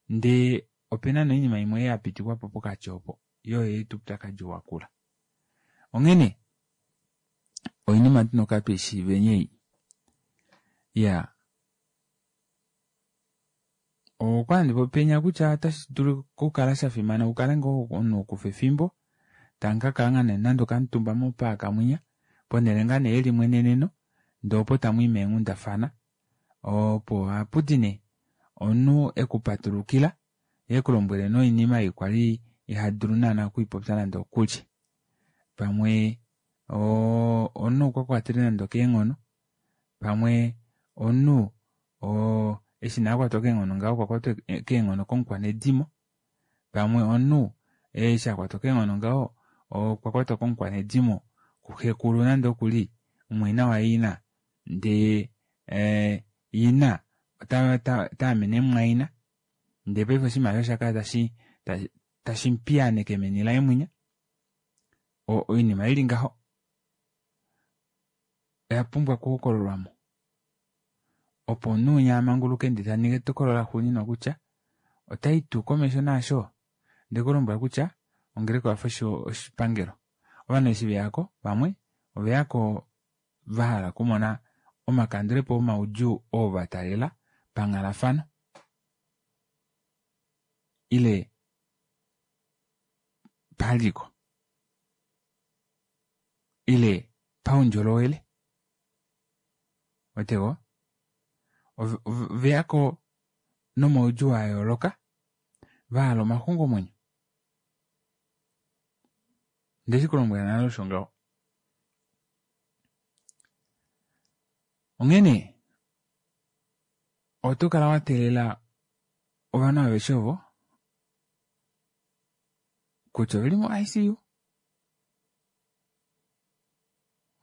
ndee opena noinima imwe yapitikwapo pokati opo yoo oyaeta oupyakadi wakula. Onghene oinima tuna okukala tweishiiveni ei. Iyaa okwali handi popi penya kutya otashi dulu okukala shafimana ukale ngoo omunhu okufa efimbo tamukakala ngaa nee nande okamutumba mopaaka mwinya ponele ngaa nee yelimweneneno ndee opo tamwii meenghundafana opo ohapudi nee omunhu ekupatulukila yee ekulombwele noinima ei kwali ihadulu naana okwiipopya nande okulye. Pamwe omunhu okwa kwatele nande okeenghono, pamwe omunhu eshi nee akwatwa keenghono ngaho okwa kwatwa keenghono komukwanedimo, pamwe omunhu eshi akwatwa keenghono ngaho okwa kwatwa komukwanedimo kuxekulu nande okuli mumwaina waina ndee ina otaamene mumwaina ndee paife oshinima osho oshakala tashi tashimupiyaaneke meni laye mwinya oinima ili ngaho oya pumbwa okuhokololwamo opo omunhu winya amanguluke ndee taningi etokolo laxuuninwa kutya otai tuu komesho naasho ndekulombwela kutya ongeleka oyafa oshipangelo. Ovanhu eshi veyako vamwe oveyako vahala okumona omakandulepo omaudjuu oo vataalela panghalafano ile paliko ile paundjolowele. Weteko oveyako nomaudjuu ayooloka vahala omaxungomwenyo. Ndeshikulombwela nale osho ngaho. Onghene oto kala wateelela ovanhu aveshe ovo kutya oveli mo I C U.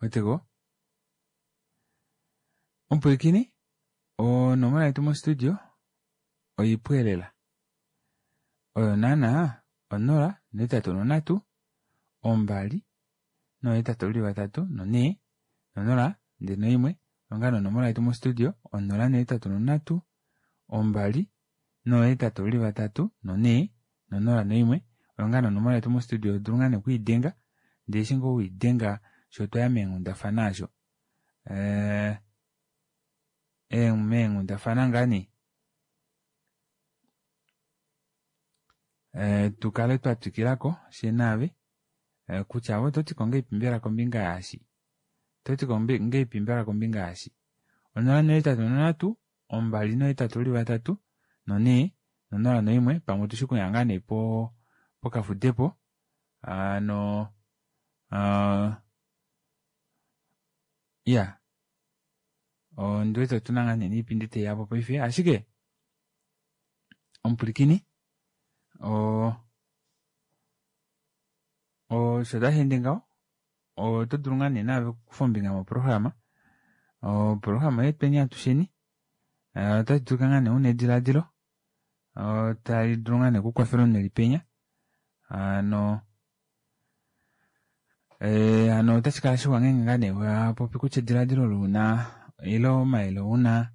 Weteko? Omupwilikini, onomola yetu mostudio oipweelela. Oyo naana onola, ohetatu nonhatu, ombali, Nohetatu li vatatu nonhee nonola ndee noimwe onga nonomola yetu mostudio onola nohetatu nonhatu ombali nohetatu li vatatu nonhee nonola noimwe onga nonomola yetu mostudio dulu ngaa nekwiidenga ndee eshi ngoo wiidenga sho twaya meenghundafana asho ee meenghundafana ngaa nee ee tukale twatwikilako fyee naave kutya ove ototi ngahelipi mbela kombinga yaashi ototi ngahelipi mbela kombinga yaashi onola nohetatu nonhatu ombali nohetatu li vatatu nonhee nonola noimwe pamwe otushi okuya ngaa nee pokafudepo hano iya ondiwete otuna ngaa nee niipindi taiyapo paife ashike omupwilikini oo osho tasheende ngaho oto dulu ngaa nee naave okukufa ombinga moprograma oprograma oyetweni atusheni otashi dulika ngaa nee una edilaadilo tali dulu ngaa nee okukwafela omunhu elipenya hano hano otashi kala shiwa ngeenge ngaa nee wapopi kutya edilaadilo olo una ile omayele una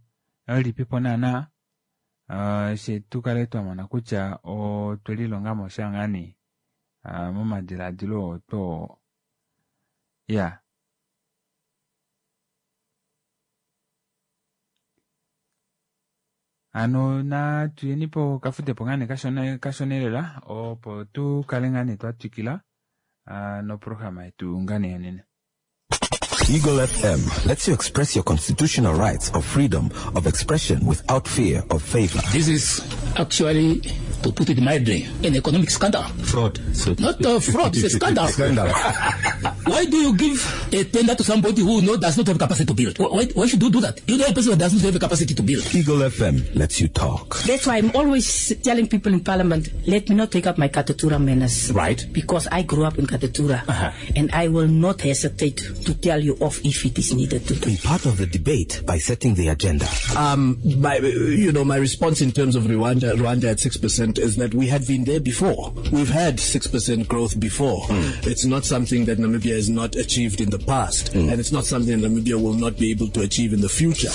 olilipipo naana fye tukale twamona kutya otwelilongamo sha ngaa nee momadilaadilo oo two iya hano natuyeni pokafudepo ngaa nee kashona kashona elela opo tukale ngaa nee twatwikila noprograma yetu ngaa nee yonena. Eagle F M lets you express your constitutional rights of freedom of expression without fear of favor. This is actually, to put it mildly, an economic scandal. Fraud. So Not a fraud, it's a scandal. Scandal. Why do you give a tender to somebody who no, does not have capacity to build? Why, why should you do that? You know a person who does not have a capacity to build. Eagle F M lets you talk. That's why I'm always telling people in Parliament, let me not take up my Katutura manners. Right. Because I grew up in Katutura. Uh-huh. And I will not hesitate to tell you off if it is needed to do. Be part of the debate by setting the agenda. Um, my, you know, my response in terms of Rwanda, Rwanda at six percent is that we had been there before. We've had six percent growth before. Mm. It's not something that Namibia has not achieved in the past, mm. and it's not something Namibia will not be able to achieve in the future.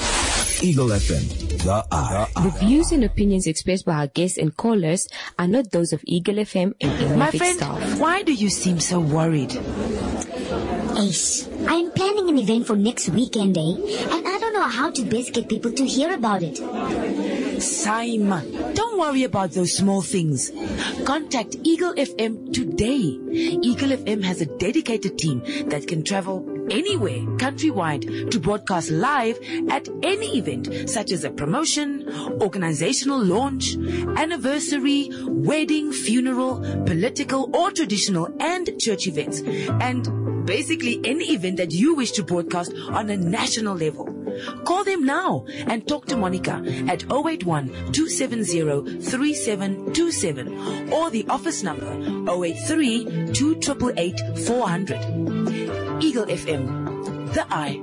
Eagle F M, the eye. The views and opinions expressed by our guests and callers are not those of Eagle F M and any My of its friend, staff. Why do you seem so worried? Ace, I'm planning an event for next weekend, eh? And I don't know how to best get people to hear about it. Saima, don't worry about those small things. Contact Eagle F M today. Eagle F M has a dedicated team that can travel anywhere countrywide to broadcast live at any event, such as a promotion, organizational launch, anniversary, wedding, funeral, political or traditional and church events, and basically any event that you wish to broadcast on a national level. Call them now and talk to Monica at oh eight one, two seven zero, three seven two seven or the office number oh eight three, two triple eight, four hundred. Eagle F M, the eye.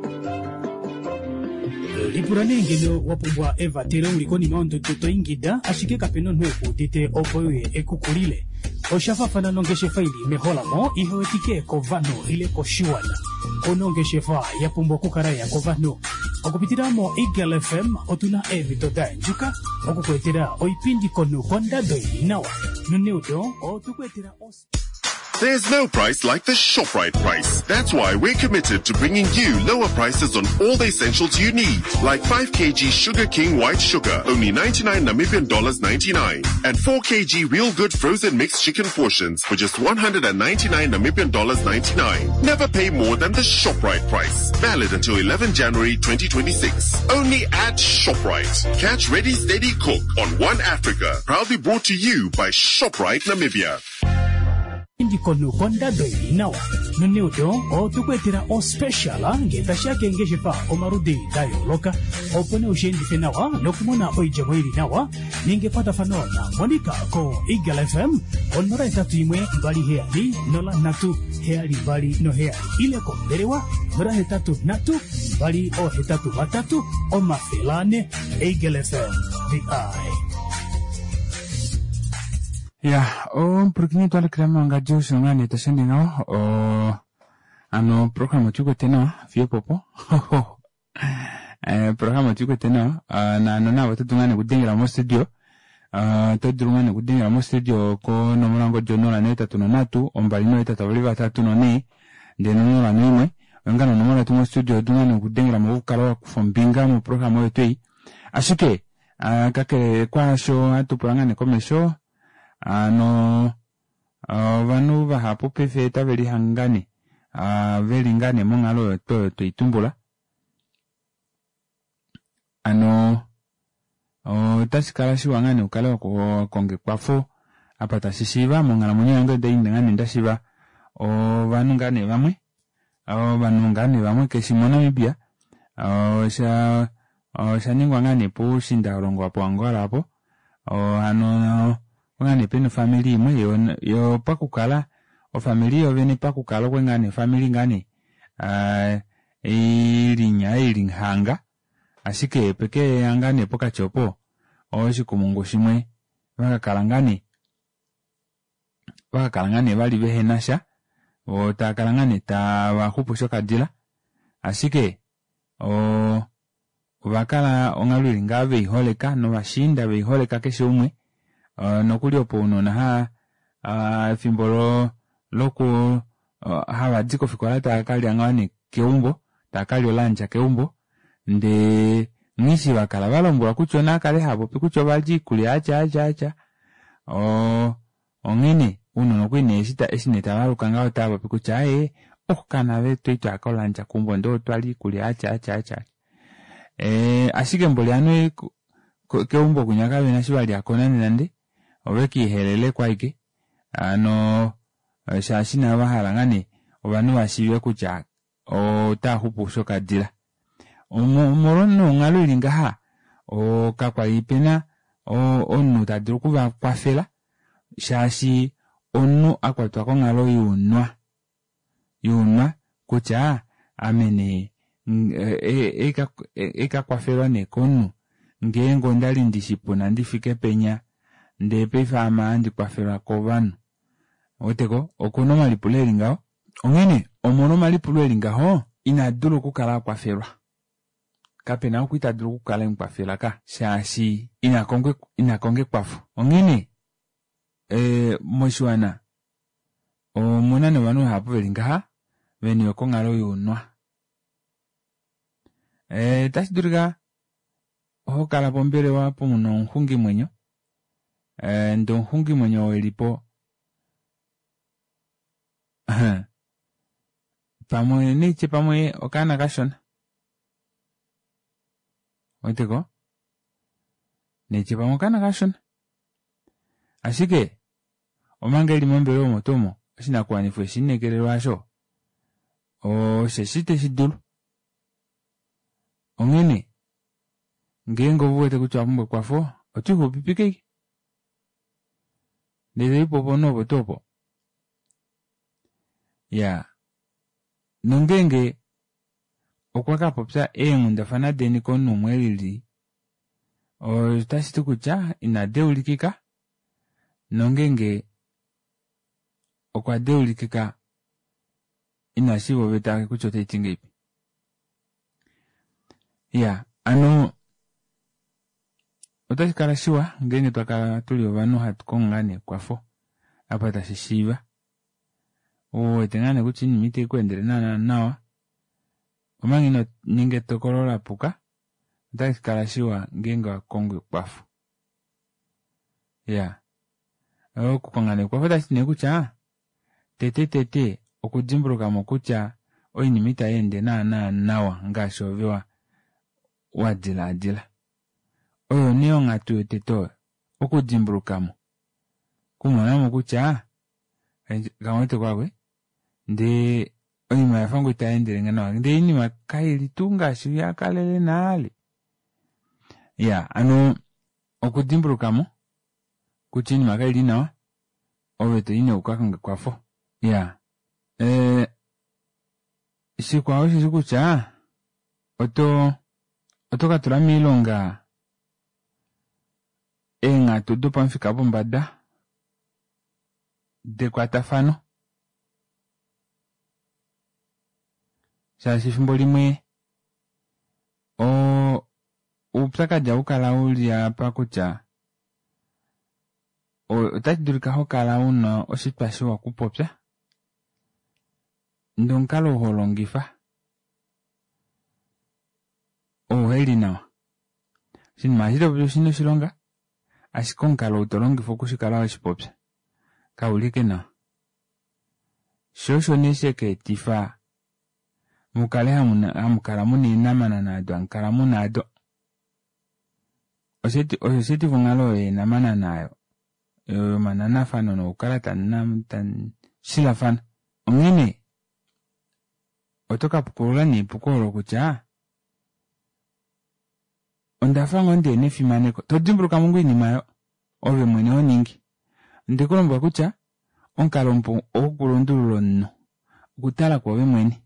Lipula nee ngeno wa pumbwa evatelo uli konima yondodo to ingida, ashike kapena omunhu ekuudite opo uye ekukulile. Osha faafana nongeshefa ili meholamo ihewetike kovanhu ile koshiwana. Kuna ongeshefa ya pumbwa okukala ya kovanhu. Okupitila mo Eagle F M otuna eemhito da endjuka okukuetela oipindi komunhu kondado ili nawa. Noneudo otukuetela os- There's no price like the ShopRite price. That's why we're committed to bringing you lower prices on all the essentials you need. Like five kilograms Sugar King white sugar, only ninety-nine Namibian dollars ninety-nine. And four kilograms Real Good frozen mixed chicken portions for just one hundred and ninety-nine Namibian dollars ninety-nine. Never pay more than the ShopRite price. Valid until eleven January twenty twenty-six. Only at ShopRite. Catch Ready Steady Cook on One Africa. Proudly brought to you by ShopRite Namibia. Ndikono kondado ili nawa. Noneudo otukuetela ospecial nge tashiya keengeshefa omaludi da yooloka opo nee ushiendife nawa nokumona oidjemo ili nawa ninga ekwatafano na Monica ko Eagle F M onola etatu imwe mbali heyali nola nhatu heyali mbali noheyali ile kombelewa nola hetatu nhatu mbali ohetatu vatatu omafele ane. Eagle F M, the eye. Ya, omupulakeni twalekela mangadi oshilonga nee tashi ende ngaho. O, Hano oprograma otuikwete nawa fiyo opopo oprograma otuikwete nawa naano navo oto dulu ngaa nee okudengela mostudio oto dulu ngaa nee okudengela mostudio konomola yongodi onola nohetatu nonhatu ombali nohetatu vavali vatatu nonhee ndee nonola noimwe oyo ngaa nee onomola yetu mostudio oto dulu ngaa nee okudengelamo ukale wakufa ombinga moprograma oyo tuu ei ashike kakele kwaasho ohatu pula ngaa nee komesho hano ovanhu vahapu paife otave lihange ngaa nee veli ngaa nee monghalo oyo tuu oyo tweitumbula hano otashi kala shiwa ngaa nee ukale wakonga ekwafo apa tashi shiiva monghalamwenyo yange onda li ngaa nee ndashiiva ovanhu ngaa nee vamwe ovanhu ngaa nee vamwe keshi moNamibia osha oshaningwa ngaa nee poushiindalongo po Angola aapo hano ngaa nee pena ofamili imwe yo pakukala ofamili yoovene pakukala okwali ngaa nee ofamili ngaa nee ilinya ilihanga ashike pekeya ngaa nee pokati opo oshikumungu shimwe vakakala ngaa nee vakakala ngaa nee vali vehenasha voo taakala ngaa nee tavaxupu shokadila ashike oo ovakala onghalo ili ngaha veiholeka novashiinda veiholeka keshe umwe nokuli opo ounona efimbo loku havadi kofikola taakalya ngoo nee keumbo taakalya olandja keumbo ndee eshi vakala valombwelwa kutya onaakale haapopi kutya ovalya oikulya yatya yatya yatya oo onghene ounona okwali nee eshi nee tavaluka ngaho otavapopi kutya aaye oh kanave twali twaya kolandja keumbo ndee otwalya oikulya yatya yatya yatya ee ashike mboli ovanhu keumbo kwinya kavena eshi valyako nande nande ovekiiheleleko ashike hano shaashi navo vahala ngaa nee ovanhu vashiive kutya otaaxupu shokadila omolwa nee onghalo ili ngaha kakwali pena omunhu tadulu okuvakwafela shaashi omunhu akwatwa konghalo younwa younwa kutya ame nee eikakwafelwa nee komunhu ngeenge ondali ndishipuna ndifike penya ndee paife ame ohandi kwafelwa kovanhu ouweteko okuna omalipulo eli ngaho onghene omolwa omalipulo eli ngaho inadula okukala akwafelwa kapena ou kwali tadulu okukala emukwafela ka shaashi inakonga ekwafo onghene moshiwana omuna nee ovanhu vahapu veli ngaha veniwe konghalo younwa otashi dulika hokala pombelewa puna omuxungimwenyo ndee omuxungimwenyo oo elipo pamwe naitye pamwe okaana kashona ouweteko naitye pamwe okaana kashona ashike omanga eli mombelewa omo tuu omo oshinakuwanifwa eshiinekelelwa aasho osheshi teshidulu onghene ngeenge ouwete kutya owapumbwa ekwafo otwiixupipike ashike ndee toipo ponhu opo tuu opo iyaa nongeenge okwa kapopya eenghundafana deni komunhu umwe elili otashiti kutya ina deulikika nongeenge okwa deulikika inashiiva oveta kutya otaiti ngahelipi iyaa hano otashi kala shiwa ngeenge twakala tuli ovanhu hatu kongo ngoo nee ekwafo apa tashi shiiva ouwete ngaa nee kutya oinima itaikweendele naana nawa omanga inoninga etokolo lapuka otashi kala shiwa ngeenge wakongo ekwafo iyaa okukonga nee ekwafo otashiti nee kutya tete tete okudimbulukamo kutya oinima itayeende naana nawa ngaashi ove wadilaadila oyo nee onghatu yotete oyo okudimbulukamo okumonamo kutya kamuweteko aakwe ndee oinima oyafa ngoo itayendelenge nawa ndee oinima kaili tuu ngaashi yakalele nale iyaa hano okudimbulukamo kutya oinima kaili nawa ove toyi nee ukakonge ekwafo iyaa ee shikwao osheshi kutya oto oto katula moilonga eenghatu dopamufika wopombada dekwatafano Shaashi efimbo limwe o oupyakadi ohaukala uli apa kutya otashi dulika hokala una oshitwa shiwa okupopya ndee omukalo oo holongifa ouheli nawa. Oshinima eshi topopi oshina oshilonga ashike omukalo ou tolongifa okushikala weshipopya kauli ashike nawa. Shoo osho nee shakaetifa mukale hamukala muna eenamanana odo hamukala muna aado. Osho sheetifa onghalo oyo yeenamanana aayo yomananafano nokukala tamushilafana. Onghene oto kapukulula nee epuko olo kutya ondafa ngoo ndihena efimaneko todimbuluka ngoo oinima aayo ove mwene honingi. Ondekulombwela kutya omukalo mupu wokulundulula omunhu okutala kwoove mwene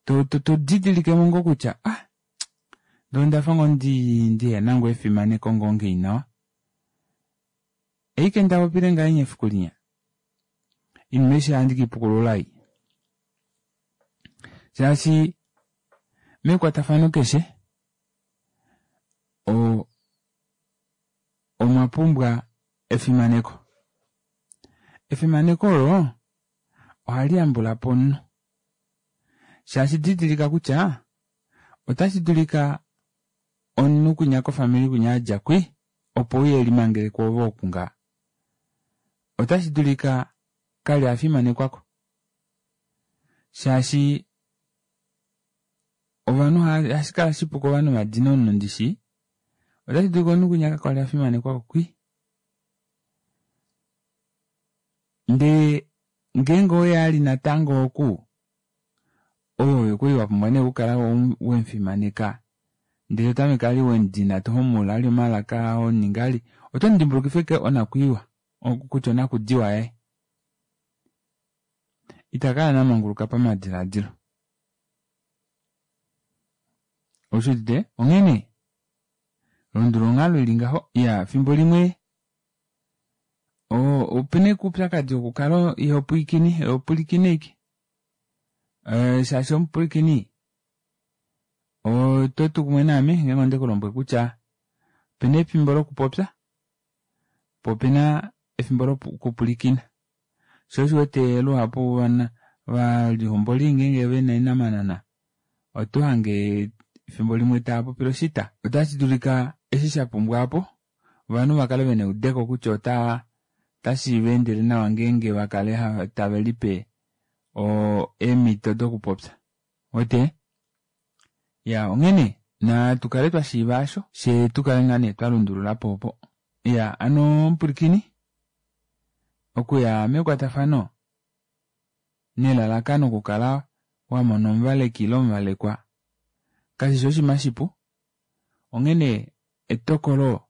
todidilikemo ngoo kutya ah ndee ondafa ngoo ndihena ngoo efimaneko ngoo ngeyi nawa oshike ndapopile ngahenya efiku linya oinima aishe ohandi keipukulula ei shaashi mekwatafano keshe oo omwapumbwa efimaneko. Efimaneko olo ohali yambulapo omunhu shaashi didilika kutya otashi dulika omunhu kwinya kofamili kwinya adja kwii opo euye elimangele kwoove oku ngaha otashi dulika kali afimanekwako shaashi ovanhu ohashikala shipu kovanhu vadine omunhu ndishi otashi dulika omunhu kwinya kakwali afimanekwako kwii ndee ngeenge oye ali natango oku oove okwali wapumbwa nee okukala wemufimaneka ndee totameke vali wemudina tohomula vali omalaka honingi vali otomudimbulukifa ashike onakwiiwa kutya onakudiwa yaye itakala nee amanguluka pamadilaadilo. Oushudite onghene lundulula onghalo ili ngaho iyaa efimbo limwe opena ashike oupyakadi wokukala ihopwiikine ihopwilikine ashike shaashi omupwilikini ototu kumwe naame ngeenge ondekulombwele kutya opena efimbo lokupopya poo opena efimbo lokupwilikina shoo osho uwete luhapu ovalihomboli ngeenge vena eenamanana otohange efimbo limwe taapopile oshita. Otashi dulika eshi shapumbwa aapo ovanhu vakale vena eudeko kutya ota otashiveendele nawa ngeenge vakale tavelipe eemito dokupopya ouwete iyaa onghene natukale twashiiva aasho fyee tukale ngaa nee twalundululapo opo. Iyaa hano omupwilikini okuya mekwatafano nelalakano okukala wamona omuvaleki ile omuvalekwa kashishi oshinima shipu onghene etokolo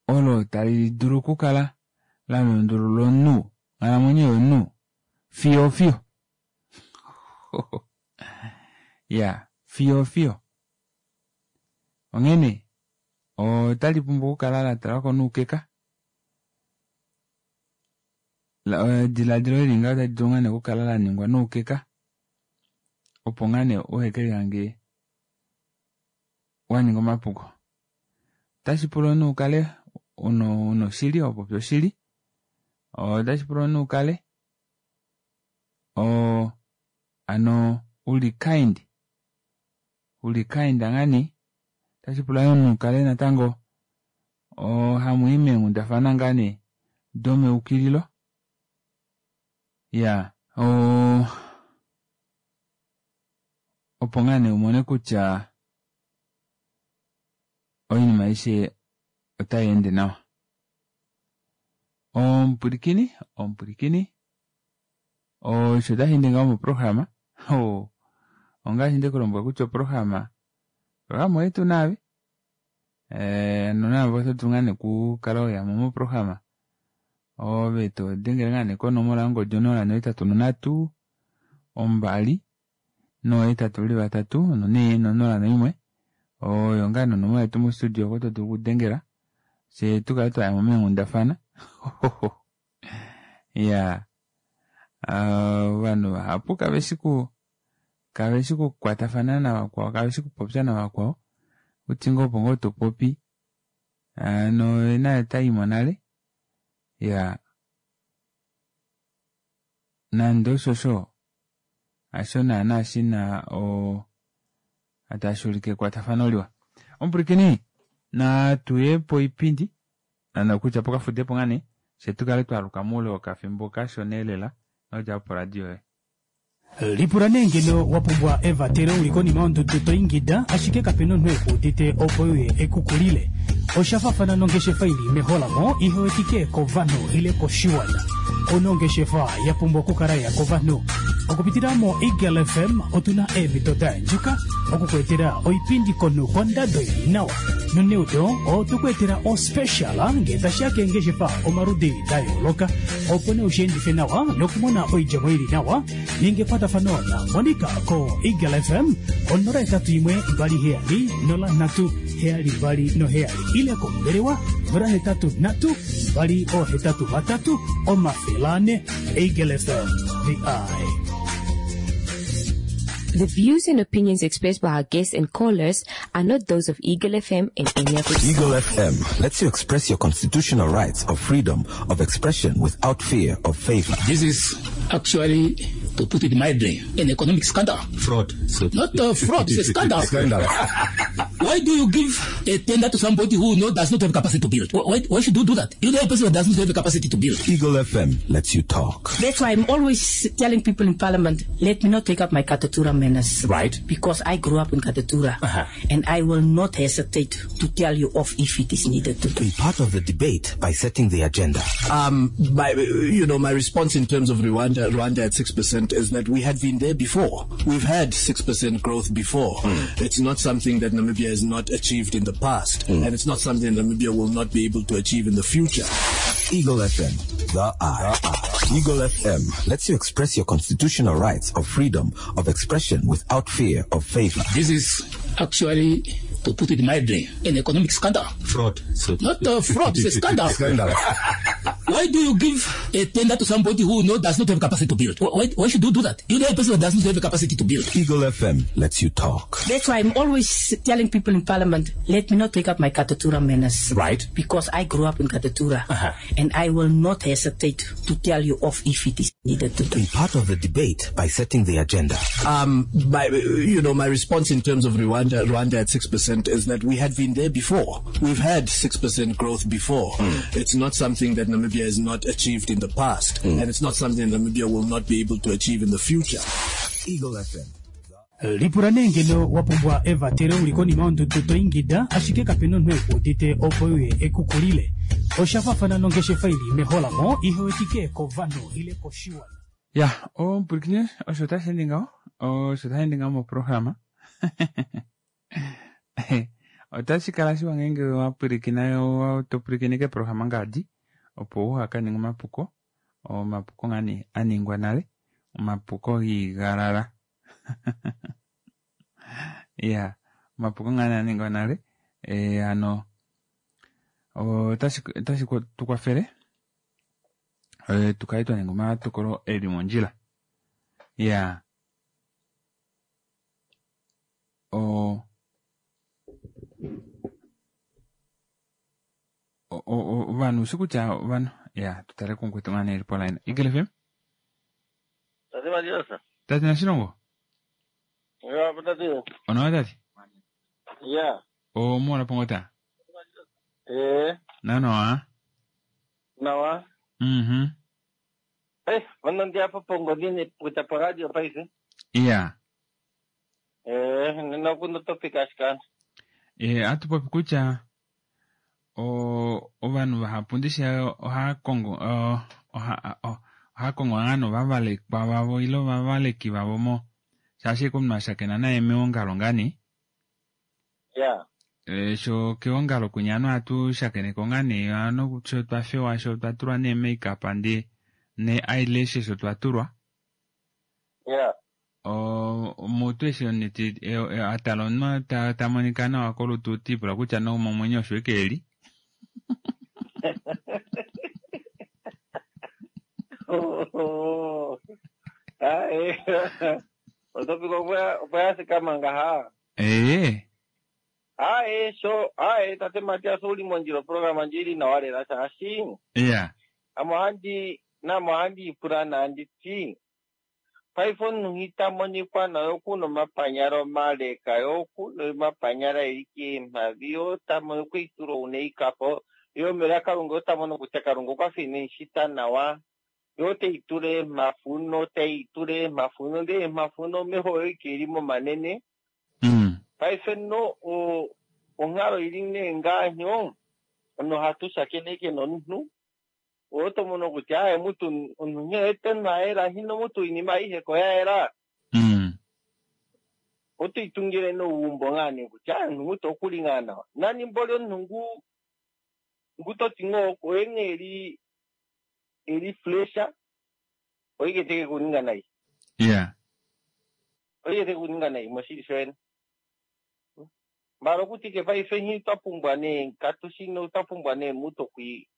olo tali dulu okukala lalundulula omunhu onghalamwenyo yomunhu fiyo fiyo iyaa fiyo fiyo onghene otalipumbwa okukala latalwako noukeka edilaadilo eli ngaho otali dulu ngaa nee okukala laningwa noukeka opo ngaa nee uhekelihange waninga omapuko. Otashipula omunhu ukale una oshili hopopi oshili otashipula omunhu ukale oo hano uli kind uli kind ngaa nee otashipula yoo omunhu ukale natango hamuyi meenghundafana ngaa nee domeukililo iyaa oo opo ngaa nee umone kutya oinima aishe otayeende nawa. Omupwilikini omupwilikini osho tasheende ngaho moprograma oo ongaashi ndekulombwela kutya oprograma oprograma oyetu naave hano naave otodulu ngoo nee okukala weyamo moprograma ove todengele ngoo nee konomola yongodi onola nohetatu nonhatu ombali noohetatu veli vatatu nonhee nonola noimwe oyo ngaa nee onomola yetu mo studio oko todulu okudengela fyee tukale twayamo meenghundafana iyaa Ovanhu vahapu kave shi ku kave shi kukwatafana navakwao, kave shi kupopya navakwao. Uti ngoo opo ngoo topopi hano naye otaimo nale. Ya nande oshosho hasho naana shina o tashi ulike ekwatafano liwa. Omupwilikini natuye poipindi nokutya pokafudepo ngaa nee fye tukale twaluka moule wokafimbo kashona elela nodja poradio yoye. Lipula nee ngeno wa pumbwa evatelo uli konima yondudu to ingida ashike kapena omunhu ekuudite opo uye ekukulile. Osha faafana nongeshefa ili meholamo ihewetike kovanhu ile koshiwana. Ouna ongeshefa ya pumbwa okukala ya kovanhu. Okupitila mo Eagle F M otuna eemhito da yandjuka okukuetela oipindi komunhu kondado ili nawa. Noneudo otukuetela ospecial ngee tashiya keengeshefa omaludi da yooloka opo nee ushiendife nawa nokumona oidjemo ili nawa. Ninga ekwatafano na Monica ko Eagle F M onola hetatu imwe mbali heyali nola nhatu heyali mbali noheyali ile kombelewa nola hetatu nhatu mbali ohetatu vatatu omafele ane. Eagle F M, the eye. The views and opinions expressed by our guests and callers are not those of Eagle F M and any of its Eagle F M lets you express your constitutional rights of freedom of expression without fear of favor. This is actually, to put it mildly, an economic scandal. Fraud. Not a fraud, it's a scandal. Scandal. Why do you give a tender to somebody who no, does not have capacity to build? Why, why should you do that? You know a person who does not have the capacity to build. Eagle F M lets you talk. That's why I'm always telling people in Parliament, let me not take up my Katutura manners. Right. Because I grew up in Katutura. Uh-huh. And I will not hesitate to tell you off if it is needed to. Be part of the debate by setting the agenda. Um, my, you know, my response in terms of Rwanda, Rwanda at six percent is that we had been there before. We've had six percent growth before. Mm. It's not something that Namibia has not achieved in the past, mm. and it's not something Namibia will not be able to achieve in the future. Eagle F M, the eye. Eagle F M lets you express your constitutional rights of freedom of expression without fear of favor. This is actually, to put it mildly, an economic scandal. Fraud. Not a fraud, it's a scandal. Scandal. Why do you give a tender to somebody who no, does not have capacity to build? Why, why should you do that? You know a person who does not have the capacity to build. Eagle F M lets you talk. That's why I'm always telling people in Parliament, let me not take up my Katutura manners. Right. Because I grew up in Katutura. Uh-huh. And I will not hesitate to tell you off if it is needed to. Be part of the debate by setting the agenda. Um, my, you know, my response in terms of Rwanda, Rwanda at six percent is that we had been there before. We've had six percent growth before. Mm. It's not something that Namibia has not achieved in the past, mm. and it's not something Namibia will not be able to achieve in the future. Eagle F M. Lipula nee ngeno wa pumbwa evatelo uli konima yondudu to ingida ashike kapena omunhu ekuudite opo uye ekukulile. Osha faafana nongeshefa ili meholamo ihewetike kovanhu ile koshiwana. Ya, omupwilikini osho tashi ende ngaho, osho tashi ende ngaho moprograma. Otashi kala shiwa ngeenge wa pwilikina, to pwilikine keprograma ngadi opo uha ninge omapuko, omapuko ngani aningwa nale, omapuko giigalala. Ya, omapuko ngani aningwa nale, eh ano otashi otashi tukwafele eh tukale twa ninga omatokolo eli mondjila. Ya. O ovanhu ushi kutya ovanhu ya tutale kumukwetu ngane eli poline. Eagle F M? Tate Madiosa. Tate Nashilongo? Ya, tate. Onawa tate? Ya. O mona pongota? Eh. Nanoa? Nawa. Mhm. Eh, vana apa pongodini kuta pa radio paife. Ya. Eh, nina kuno topic ashikana. Eh, atupopi kutya o ovanhu vahapu ndishi oha kongo oha oha kongo ngano vavalekwa vavo ilo vavaleki vavo mo shaashi komunhu ashakena naye meongalo ngani. Ya. E, sho keongalo kunya atu shakeneko ngani ano sho twafewa sho twatulwa ne makeup ndi ne eyelashes sho twatulwa. Ya. O mutu eshi oniti atala omunhu ta ta monika nawa kolutu tipula kutya nomomwenyo osho eke eli. Oh. Ae. Otopiko opo yathikama ngaha. Ee. Ae, so ae tate Matias ouli mondjila oprograma ndji ili nawa lela shaashi Iya. ame ohandi name ohandi ipula nandi ti paife omunhu ita monikwa naye okuna omapanyala omaleka ye okuna omapanyala eli keemhavi ye ota mono okweitula ouneikapo ye omela Kalunga ota mono kutya Kalunga okwafa ine mushita nawa ye oteitula eemhafuno teitula eemhafuno ndee eemhafuno omeho oyo ike eli momanene. Mm. Paife no o- onghalo ili nee ngaanyo nohatu shakeneke nomunhu oto mono kutya aye mutu omunhu nghee tenhu ayela hino mutu oinima aihe ko yayela. Mm. Oto itungile nougumbo ngaa nee kutya aye omunhu mutu okuli ngaa nawa nani mboli omunhu ngu ngu toti ngoo oye nghee eli eli flesha oike teke kuninga nai. Iya. Oike teke kuninga nai moshili shoyene. Mbala okuti ke paife nghi twa pumbwa nee katushi twa pumbwa nee mutu okwi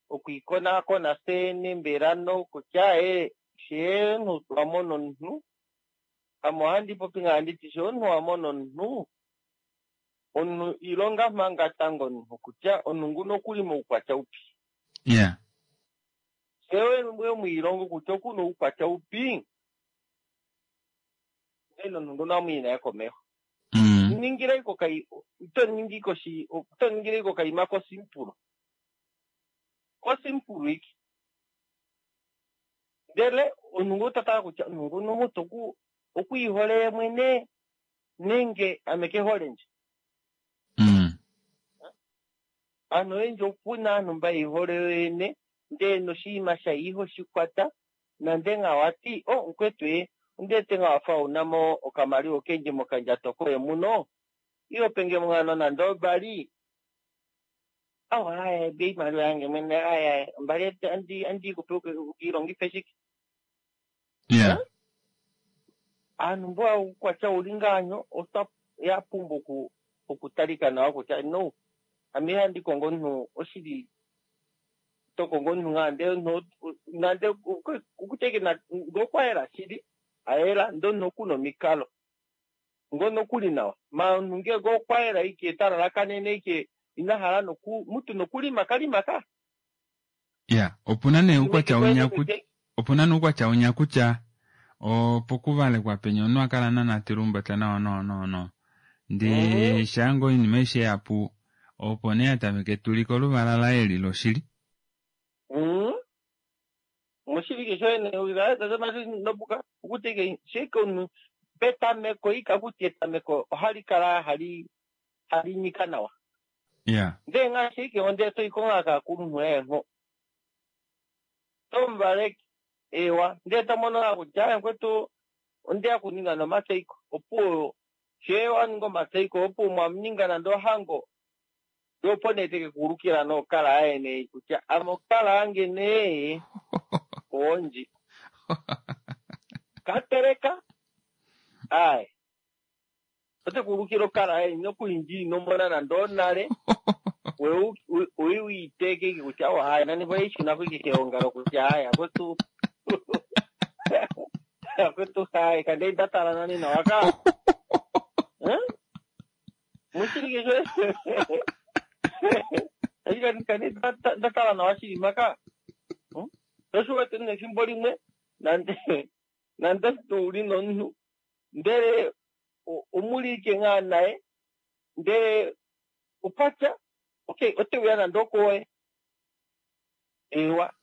okwiikonakona fyene mbela nokutya ee shee omunhu twa mona omunhu ame ohandi popi ngaa nditi shee omunhu wa mona omunhu omunhu ilonga manga tango omunhu kutya omunhu nguno okuli moukwatya upi. Iya. Shee we mwiilongo kutya okuna oukwatya upi ndele omunhu nguno amwiyi naye komeho. Mm. Ningile kai ito ningi koshi ito ningile kokaima kosimpulo kosimpulo iki ndele omunhu ngu totala kutya omunhu nguno mutu oku okwiihole ye mwene nenge ame kehole ndje. Mm. Aanhu oyendji okuna aanhu mba yeihole yoyene ndele noshinima shaye ihoshikwata nande nga wati o mukwetu ee ondete nga wafa unamo okamaliwa okendji mokandjato koye muno iyo penge mungano nande obali awa aye be iimaliwa yange mwene aye mbali andi andi kupe ukiilongife shike. Iya. Aanhu mbo oukwatya uli ngaanyo otwa yapumbwa oku okutalika nawa kutya no ame ihandi kongo omunhu oshili to kongo omunhu ngaa ndele omunhu nande okuteke ngee okwayela shili ayela ndee omunhu okuna omikalo ngono okuli nawa ma omunhu ngenge okwayela ike talalakanene ike ina hala noku mutu nokulima kalima ka. Iya, opuna nee oukwatya unya kutya opuna nee oukwatya unya kutya opokuvalekwa penya omunhu akala nana telumbata nawa nawa nawa nawa ndee shaango oinima aishe yapu opo nee atameke tuliko oluvala laye eli loshili. Mm. Moshili ke shoyene nobuka okuteke sheke omunhu petameko ika kuti etameko ohali kala hali hali nyika nawa. Iya. Ndee ngaashi ike onde toiko ngaa kaakulunhu eenho tomuvaleke ewa ndee tomono ngaa kutya aye mukwetu ondeya kuninga nomatseiko opuwo shee waninga omatseiko opuwo mwaninga nande ohango yo opo nee teke kuulukila nookala aye nee kutya ame okala yange nee oondji kateleka aye ote kuulukila okala aye nokuindji inomona nande onale we wiiteke ike kutya o hayi nani voishunako ike keongalo kutya hayi akwetu akwetu hayi kande ndatala nani nawa ka mushili kesho kande ndatala nawa shili maka osho nefimbo limwe nande nande uli nomunhu ndele omuli ike ngaa naye ndele opatya okay oteuya nande okowe ewa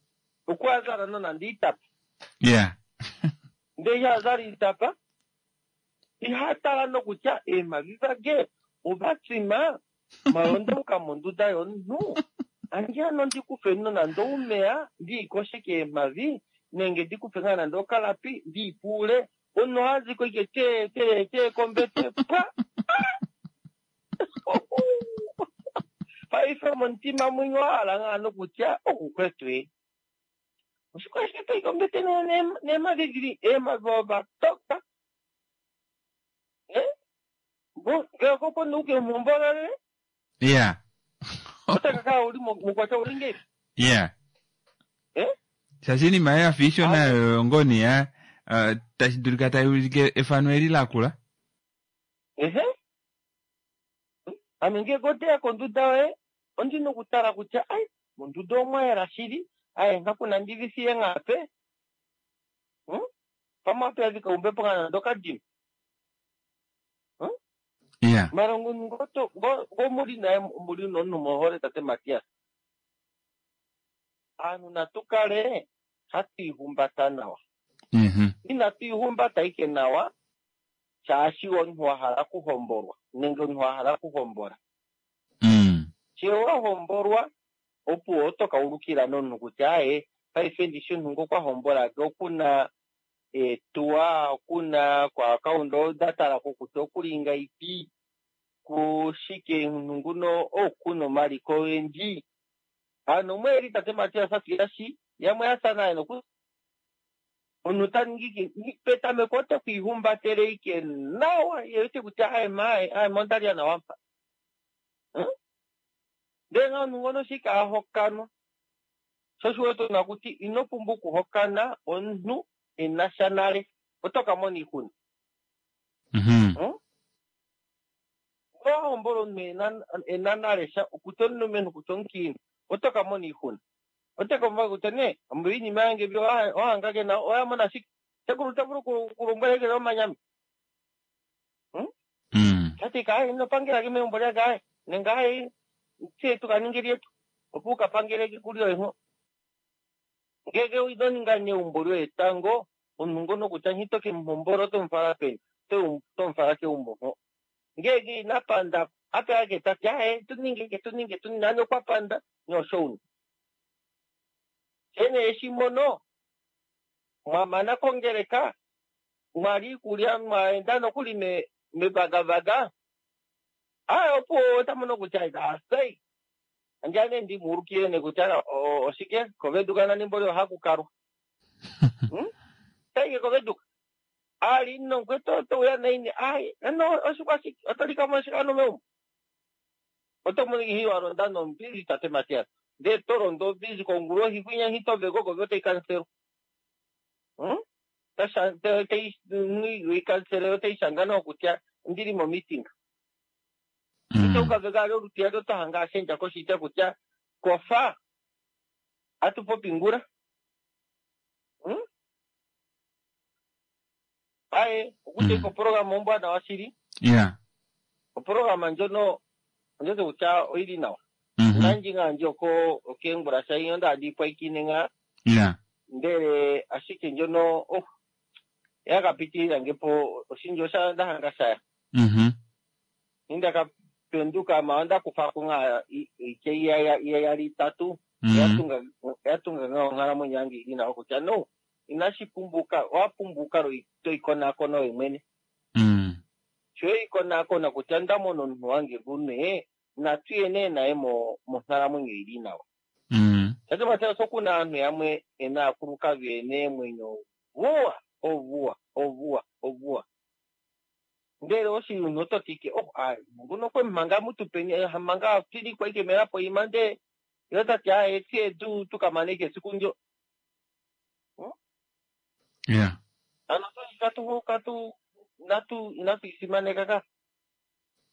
okwazala nonande itapa. Yeah. Ndele ihazala itapa ihatala nokutya eemavi vage ovatsima malondauka monduda yomunhu andi ano ndikufe nonande oumeya ndiikoshe keemavi nenge ndikufe ngaa nande okalapi ndiipuule omunhu ohaziko ike te te te kombete pwa paife momutima mwinyo wahala ngaa nokutya okukwetu e oshikwashike toyi kombete neemavi dili eemavi ovatoka ngee okopo nuke muhombolole Iya. otakakala uli mukwatya uli ngeipi Iya. Eh? Shaashi iinima yafa ishona oyo ngoni ya uh, tashi dulika tai ulike efano eli lakula. Ehe, ame ngenge oteya konduda yoye ondina okutala kutya ai monduda omwa yela shili, aye ngakuna ndivisiye ngape hmm? Pamwe ape umbepo nga nande okadima. Hmm? Yeah. Mara ngo ngo muli naye muli nomunhu mohole tate Matias. Aanhu natu kale hatu ihumbata nawa. Mm-hmm. Inatu ihumbata ike nawa shaashi omunhu wa hala okuhombolwa nenge omunhu wa hala okuhombola. Mm. She wa hombolwa opo oto ka ulukila nomunhu kutya aye paife ndishi omunhu ngo kwa hombola ke okuna eetuwa, okuna koakaunda oda talako kutya okulinga ipi kushike omunhu nguno okuna omaliko ogendji. Ano mweli tate Matias atuyashi yamwe yasa naye noku omunhu ta ningi petameko ote kwiihumbatele ike nawa ye wete kutya aye ma aye ma ondalya nawa mpa. Ndele nga omunhu ngono shike ahokanwa sho osho wete una kuti ino pumbwa okuhokana omunhu ena sha nale oto ka mona iixuna. Mm-hmm. Wahombola omunhu ena nale sha okutya omulumenhu kutya omukiinhu oto ka mona iixuna. Ote ka kutya nee iinima yange mbi ohanga kena oya mona shike sekulu ota vulu okulombwela ike omanyami. Tati kaye ino pangela ke megumbo lyake aye nenge aye tse tuka ninge lyetu opo uka pangele kulyoye ngo. Ngenge ino ninga neumbo lyoye tango omunhu ngono kutya nghito ke muhombola oto mufala peni oto mufala keumbo ngo. Ngenge ina panda ape ake tati aye tuninge tuninge tuninge nani okwa panda nosho una. Shene eshi mono mwamana kongeleka mwali iikulya mwaenda nokuli me mevagavaga aye opo ota mono kutya asai andjane ndimuulukile ne kutya oshike koveduka nani mboli ohaku kalwa. Hmm? Taike koveduka ali no kweto touya naini aye ano oshikwashike oto likamo oshikano meumbo oto mono ihi walonda nombili tate Matias ndee to londo obizi kongulohi kwinya hitoveko kovi otai kanselwa. Hmm? Ikansele otai shanga nawa kutya ondili mo meeting. Ito ukaveka ali olutiyali oto hanga ashendja koshitya kutya kofa atu popi ngula. Hmm? Aye okutya iko programa ombwanawa shili. Yeah. Oprograma ndjono ondjote kutya oili nawa. Mm-hmm. Nandji nga ndji oko okeengula sha onda adi pwaikine nga. Yeah. Ndele ashike ndjono oh yakapitilila ngepo oshindji osha ndahanga shaya. Mhm. Nindaka penduka ma onda kufako nga ike iyali itatu Mm-hmm. yatunga yatunga nga onghalamwenyo yange ili nawa kutya no inashi pumbuka wapumbuka toikonakona oye mwene. Mm. Sho ikonakona kutya ndamona omunhu wange gune natuye nee naye mo monghalamwenyo ili nawa. Mm. Tate Matias okuna aanhu yamwe ena aakulukadhi ena eemwenyo ovuwa ovuwa ovuwa ovuwa. Ndele oshiyuni oto tike oh aye nguno okwe manga mutupeni manga tilikwa ike melapo ima ndee yo tati aye tye tu tukamane ike esiku ndyo. Yeah. Ano katu katu inatu inatu isimaneka ka.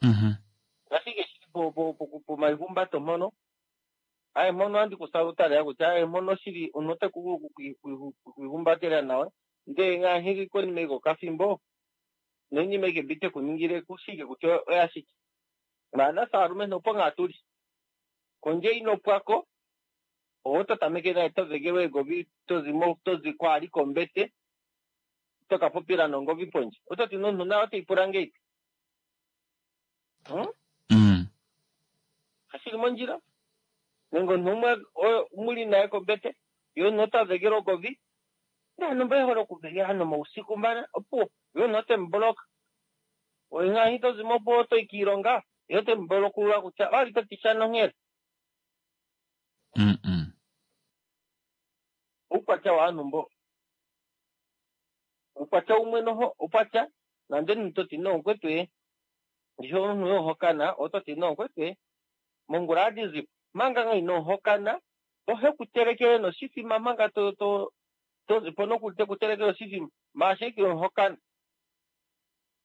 Mhm. Ashike shili po po po pomaihumbato mpono aye mpono andi kusalutala kutya aye mpono shili omuntu ote ku kuihumbatela nawa ndee ngaashi konima iko kafimbo noinima ike mbi tekuningile kushike kutya oya shike. Maana saalumentu opo ngaa tuli kondje ino pwako owo to tameke naye to vegelwa egovi tozimo tozi kwali kombete toka popila nongovi pondje ototi nomunhu naye oteipula ngeipi. Hmm? Mm. Kashili mondjila nenge omunhu umwe muli naye kombete ye omunhu ota vegele ogovi naanhu mba ehole okuvegela nomausiku mbana opuwo ye omunhu otemuboloka oye ngaashi tozimo opo otoyi kiilonga ye otemubolokulula kutya owali toti sha nonghela. Mm -mm. Oukwatya waanhu mbo oukwatya umwe noho okwatya nande omunhu toti noomukwetu ye ndishi omunhu yohokana ototi noomukwetu mongula adizipo manga nga ino hokana ohe kutelekele noshifima manga to to To- po nokuli tekutelekele oshifima maashike omuhokana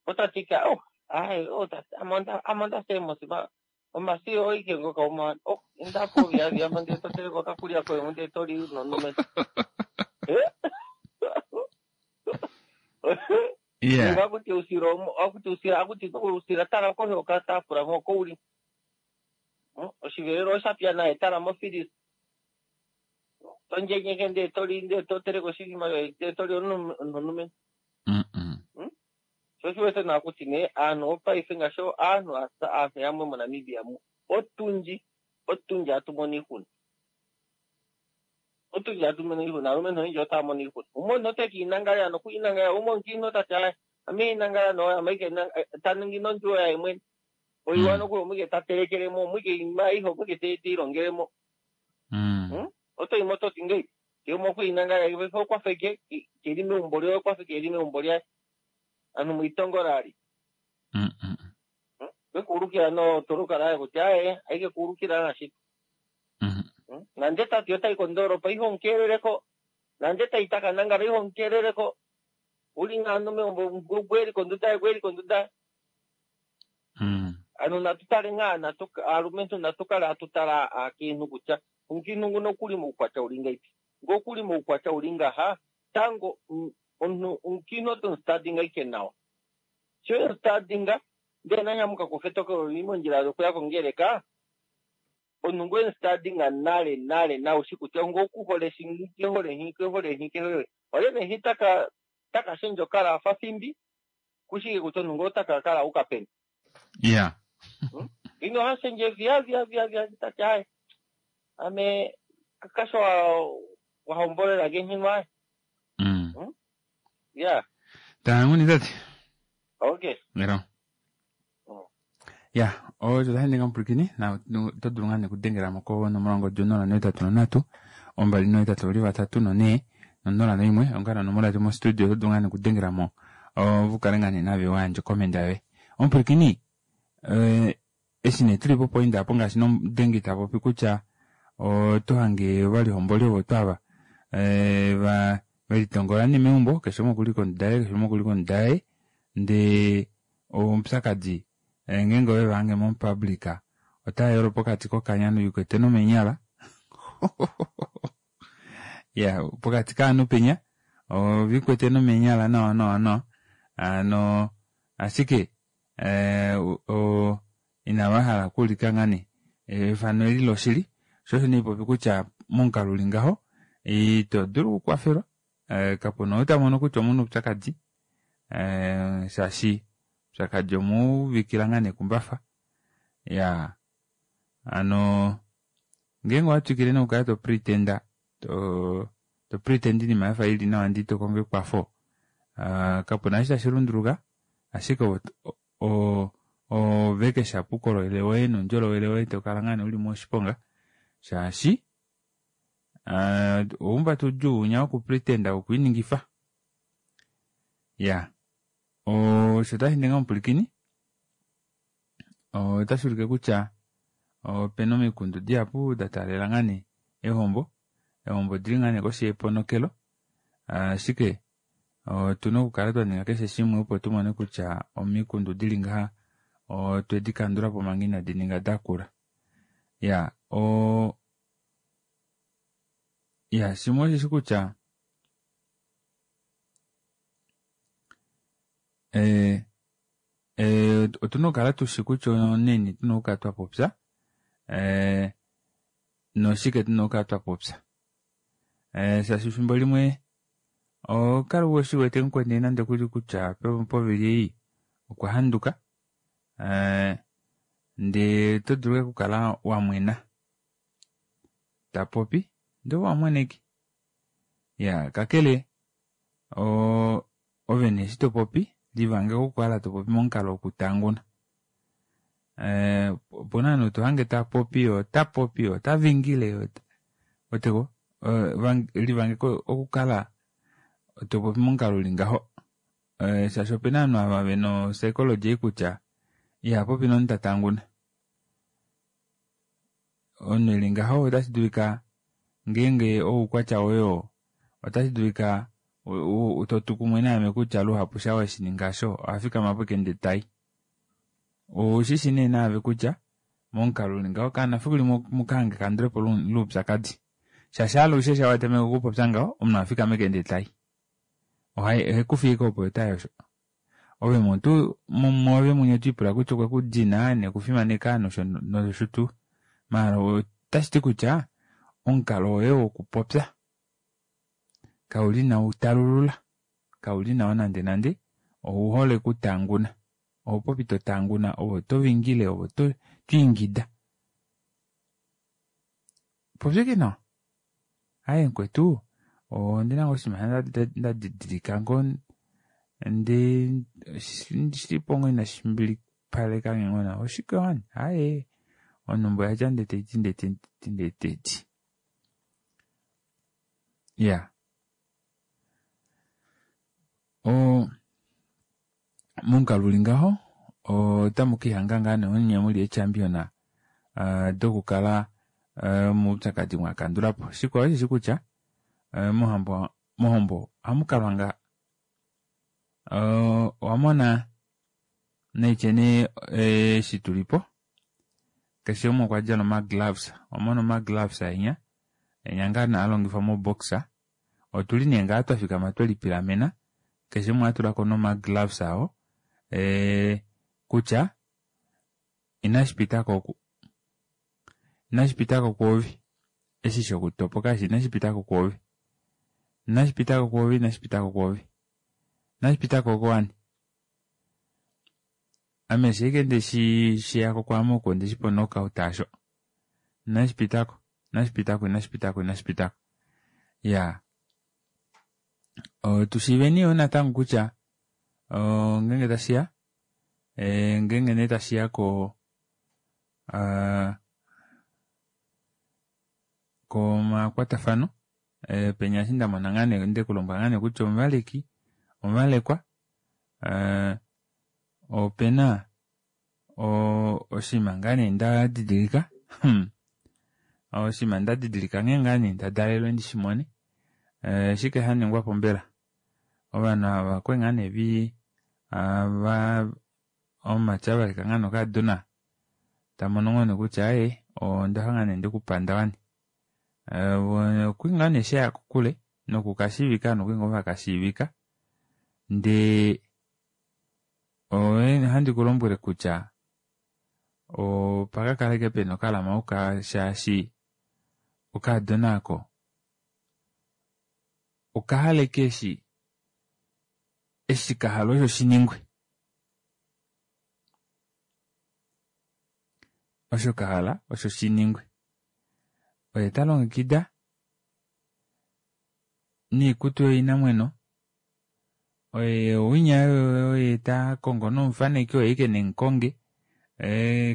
otatika oh ai oh tati amonda amonda semosima omasi oike ngoka uma oh indapo vya vya mande toteleka okakulya koye munde toli nonume. Yeah. Akuti usira akuti usira akuti usira tala kohe okatafula ngoko uli oshivelelo oshapya naye tala mofilisi tonjenyeke nde toli nde toteleka oshifima nde toli nonume. Sho shi wete naa kuti nee aantu opaife ngaashi aantu aantu yamwe moNamibia mu otundji otundji hatu mono iihuna otundji hatu mono iihuna aalumentu oyendji otaya mono iihuna umwe omuntu ote kiinangala nokuinangala umwe omukiintu otati aye ame inangala no ame ta ningi nondjuwo yaye mwene oiwa nokuli omwike ta telekelemo omwike iinima ayihe omwike te ilongelemo oto yimo toti ngeyi ke okuinangala okwafa ike keli meumbo lyoye okwafa ike eli meumbo lyaye anu mwitongola ali kekuulukila no tolukala aye kutya aye aike kuulukila nashito nande tati otayi kondoolopa ihe omukeeleleko nande tayi takanangala ihe omukeeleleko uli ngano meumbo gweli konduda gweli konduda. Ano natu tale ngaa natu aalumentu natu kale atu tala aakiintu kutya omukiintu nguno okuli muukwatya uli ngaipi ngo okuli muukwatya uli ngaha tango omuntu omukiintu oto mustadinga ike nawa sho emustadinga ndee nanyamuka kufetokelo li mondjila yokuya kongeleka omuntu ngo emustadinga nale nale nawe shi kutya ngo okuhole shi kehole nhi kehole nhi kehole olye nehi taka taka shendja okala afa fimbi kushike kutya omuntu ngo otaka kala uka peni. Yeah. Ino hashendje via via via via tati aye ame kakasho wahombolela kenhinwa. Mm. Yeah. Tanguni tati. Okay. Ngero. Ya, osho tashi ninga omupulakeni na oto dulu ngaa nekudengela mo konomola ongodhi onola nohetatu nondatu ombali nohetatu ovali vatatu nonee nonola noimwe ongala onomola yetu mostudio oto dulu ngaa nekudengela mo vukale ngaa nee nave wayandje okomenda yoye. Omupulakeni eshi nee tuli popoinda apo ngaashi nomudengi tapopi kutya oto hange ovalihomboli ovo twava va velitongola nee meumbo keshe umwe okuli konduda yaye keshe umwe okuli konduda yaye ndee omupyakadi ngeenge ove vahange momupublic otayolo pokati kokanya noikwete nomenyala ya pokati kaanhu penya ovikwete nomenyala nawa nawa nawa ano ashike inava hala okuulika ngaa nee efano eli loshili sho osho nee popi kutya momukalo uli ngaho ito dulu okukwafelwa kapuna ou tamono kutya omuna oupyakadi shaashi oupyakadi omuuvikila ngaa nekumbafa ya ano ngeenge owatwikile nokukala to pretenda to to pretend iinima yafa ili nawa ndee ito kongo ekwafo kapuna eshi tashi lunduluka ashike ove keshe uukolele woye noundjolowele woye tokala ngaa nee uli moshiponga shaashi oumbatu udjuu winya wokupretenda wokwiiningifa ya osho tashi ninga omupwilikini otashi ulike kutya opena omikundu dihapu da taalela ngaa nee ehombo ehombo odili ngaa nee koshi yeponokelo ashike otuna okukala twaninga keshe shimwe opo tumone kutya omikundu dili ngaha otwedi kandulapo manga inadi ninga dakula ya o ya shimwe osheshi kutya eh eh otuna okukala tushi kutya oneni tuna okukala twapopya eh noshike tuna okukala twapopya eh shaashi efimbo limwe okala ushiwete mukweni nande kuli kutya povili ei okwa handuka eh ndee oto dulu okukala wamwena tapopi ndee wamweneke ya kakele o ove nee eshi topopi livange okukala topopi momukalo wokutanguna eh opuna ovanhu tohange tapopi otapopi otavingile oteko livange okukala topopi momukalo uli ngaho shaashi opena ovanhu ava vena opsychology ei kutya ihapopi nomunhu tatanguna omunhu eli ngaho otashi dulika ngeenge oukwatya woye Otashi dulika to tu kumwe naame kutya luhapu sha weshininga sho ohafikama po ashike ndee tai. Oushi nee naave kutya momukalo uli ngaho kaana fiku limwe mukahange ekandulepo loupyakadi. Shaashi alushe sha watameke okupopya ngaho omunhu ohafikama ashike ndee tai. Ohekufi ashike opo tayi osho. Ove mutu mwoove mwene otwiipula kutya okwe kudina nekufimaneka nosho nosho tuu. Maala otashi ti kutya omukalo woye wokupopya kauli nawa utalulula, kauli nawa nande nande, ouhole okutanguna. Oho popi to tanguna ove oto vingile ove oto ingida. Popya ashike nawa. Aaye mukwetu ondina ngoo oshinima ndadidilika ngoo ndee shilipo ngoo inashi mbilipalekange ngoo nawa. Oshike wani? Aaye onumba oyadja ndee taiti ndee taiti ndee taiti. Iyaa oo momukalo uli ngaho otamu kiihanga ngaa nee onye muli eechampion dokukala moupyakadi mwakandulapo. Shikwao osheshi kutya mohambo mohombo ohamukalwa ngaa. Owamona naitye nee eshi tulipo keshe umwe okwadjala omagloves. Owamona omagloves enya enya ngaa nee haalongifwa moboxer. Otuli nee ngaa twafikama twelipilamena keshe umwe atulako nee omagloves awo kutya inashipitako oku inashipitako kwoove eshi shokutopoka eshi inashipitako kwoove inashipitako kwoove inashipitako kwoove inashipitako oko wani. Ame eshi ashike ndeshi sheyako kwaame oku ondeshipa o knockout aasho. Inashipitako inashipitako inashipitako inashipitako. Iyaa tushiiveni yoo natango kutya ngeenge tashiya ngeenge nee tashiya ko komakwatafano penya eshi ndamona ngaa nee ndekulombwela ngaa nee kutya omuvaleki omuvalekwa opena oshinima ngaa nee ndadidilika oshinima ndadidilika nghee ngaa nee ndadalelwe ndishimone oshike shaningwapo mbela. Ovanhu ava okwali ngaa nee vi omumati avaleka ngaa nee okakadona tamono ngoo nee kutya aaye ondafa ngaa nee ndekupanda wani. Okwali ngaa nee shaya kokule nokukashiivika ovanhu okwali ngoo vakashiivika ndee ohandi kulombwele kutya opakakala ashike pena okalamauka shaashi okakadona aako okahala ashike eshi eshi kahala osho shiningwe. Osho kahala osho shiningwe. Oye talongekida noikutu yoinamweno oye winya oye takongo nomufaneki oye ashike nemukonge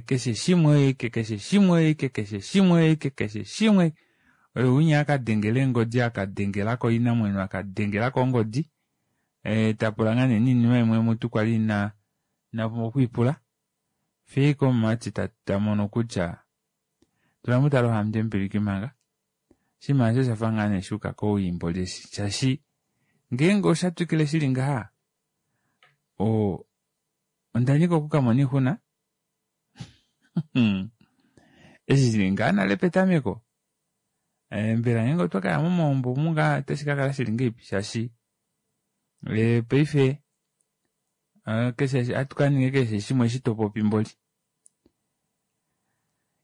keshe shimwe oye ashike keshe shimwe oye ashike keshe shimwe oye ashike keshe shimwe oye winya akadengela eengodi akadengelako inamweno akadengelako ongodi tapula ngaa nee noinima imwe mutu kwali ina inapumbwa okwiipula. Fiyo ashike omumati tamono kutya tula mutale ohamutempiliki manga. Oshinima aasho oshafa ngaa nee shuuka kowii mboli eshi shaashi ngeenge osha twikile shili ngaha o ondanyika okukamona oixuna eshi shili ngaa nale petameko mbela ngeenge otwa kaya momaumbo omu ngaa otashi kakala shili ngahelipi shaashi paife keshe ohatu kaninga keshe shimwe eshi topopi mboli.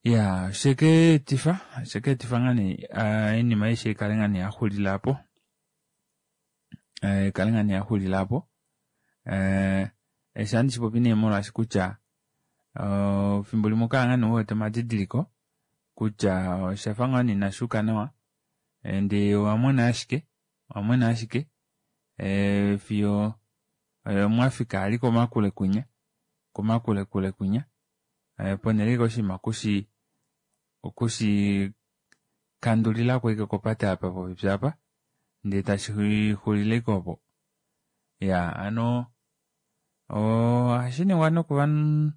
Iyaa oshekeetifa oshekeetifa ngaa nee oinima aishe ikale ngaa nee yaxulila aapo ikale ngaa nee yaxulila aapo eshi ohandi shipopi nee molwaashi kutya efimbo limwe ohokala ngaa nee uwete omadidiliko kutya oshafa ngoo nee inashuuka nawa ndee owamwena ashike owamwena ashike fiyo mwafika vali komakule kwinya komakule kule kwinya ponele ashike oshinima okushi okushi kandulilako ashike kopate apa popepi aapa ndee tashi xulile ashike opo. Iyaa hano ohashiningwa nokovanhu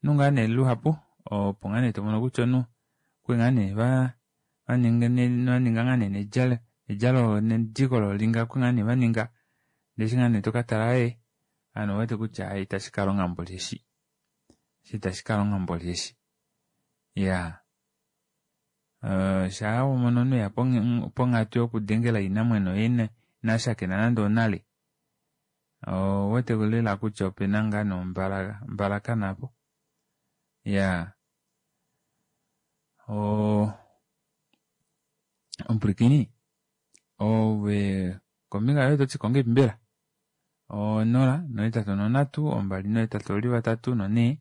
ngaa nee luhapu opo ngaa nee tomono kutya omunhu okwali ngaa nee vaninga ngaa nee Edjalo nediko lolinga oku ngaa nee vaninga ndee eshi ngaa nee tokatala ee ovanhu ovewete kutya aaye itashi kalonga mboli eshi eshi itashi kalonga mboli eshi iyaa shaa wamono omunhu eya ponghatu yokudengela inamweno yee inashakena nande onale ouwete lela kutya opena ngaa nee ombalakana aapo iyaa oo omupwilikini ove kombinga yoye ototiko ngahelipi mbela onola nohetatu nonhatu ombali nohetatu oveli vatatu nonhee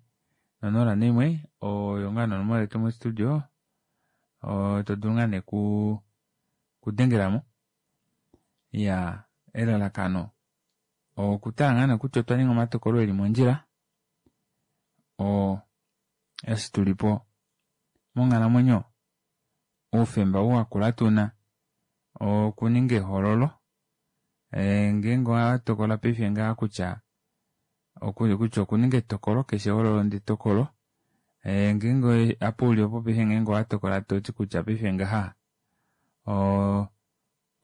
nonola noimwe oyo ngaa nee onomola yetu mo studio todulu ngaa nee okudengelamo iyaa elalakano okutala ngaa nee kutya otwa ninga omatokolo eli mondjila oo eshi tulipo monghalamwenyo oufemba ou wakula tuna okuninga ehoololo ngeenge owatokola paife ngaha kutya kutya okuninga etokolo keshe ehoololo ndee etokolo ngeenge apa uli opo paife ngeenge owatokola toti kutya paife ngaha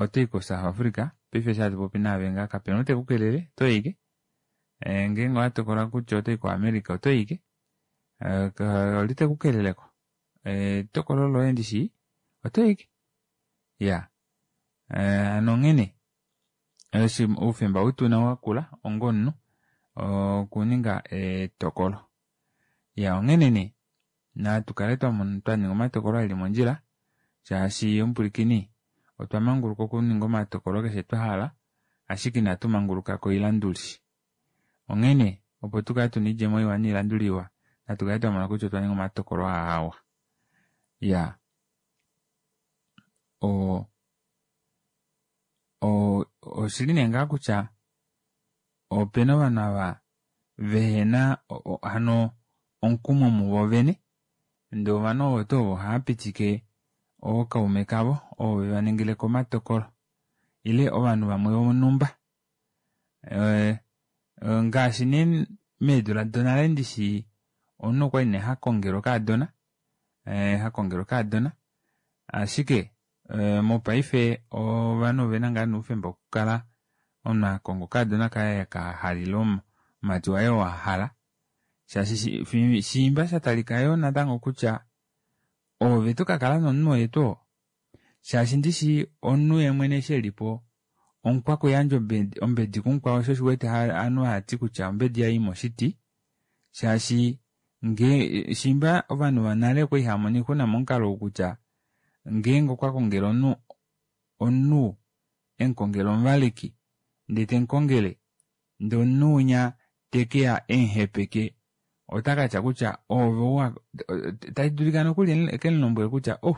otoyi ko south Africa paife eshi hatupopi naave ngaha kapena ou tekukelele otoyi ashike ngeenge owatokola kutya otoyi ko America otoyi ashike olye tekukeleleko etokolo loye ndishi otoyi ashike iya hano onghene eshi oufemba outuna wakula onga omunhu okuninga etokolo iya onghene nee natukale twaninga omatokolo eli mondjila shaashi omupwilikini otwa manguluka okuninga omatokolo keshe twahala ashike inatu manguluka koilanduli onghene opo tukale tuna oidjemo iwa noilanduli iwa natukale twamona kutya otwa ninga omatokolo aawa iya o oshili nee ngaa kutya opena ovanhu ava vehena hano omukumo muvo vene ndee ovanhu ovo tuu ovo ohaapitike ookaume kavo ovo vevaningileko omatokolo ile ovanhu vamwe vonhumba ngaashi nee meedula donale ndishi omunhu okwali nee hakongelwa okaadona hakongelwa okaadona ashike mopaife ovanhu ovena ngaa nee oufemba wokukala omunhu akonga okaadona kaye ekahala ile omumati waye oo ahala shaashi shiimba shatalika yoo natango kutya ove tokakala nomunhu oye tuu oo shaashi ndishi omunhu yeemwene eshi elipo omukwakuyandja ombedi kumukwao sho osho uwete ovanhu haati kutya ombedi ihayi moshiti shaashi ngee shiimba ovanhu vonale okwali haamono oixuna momukalo ou kutya ngeenge okwa kongele omunhu omunhu emukongele omuvaleki ndee temukongele ndee omunhu winya tekeya emuhepeke otakatya kutya ove tadulika nokuli ekemulombwele kutya oh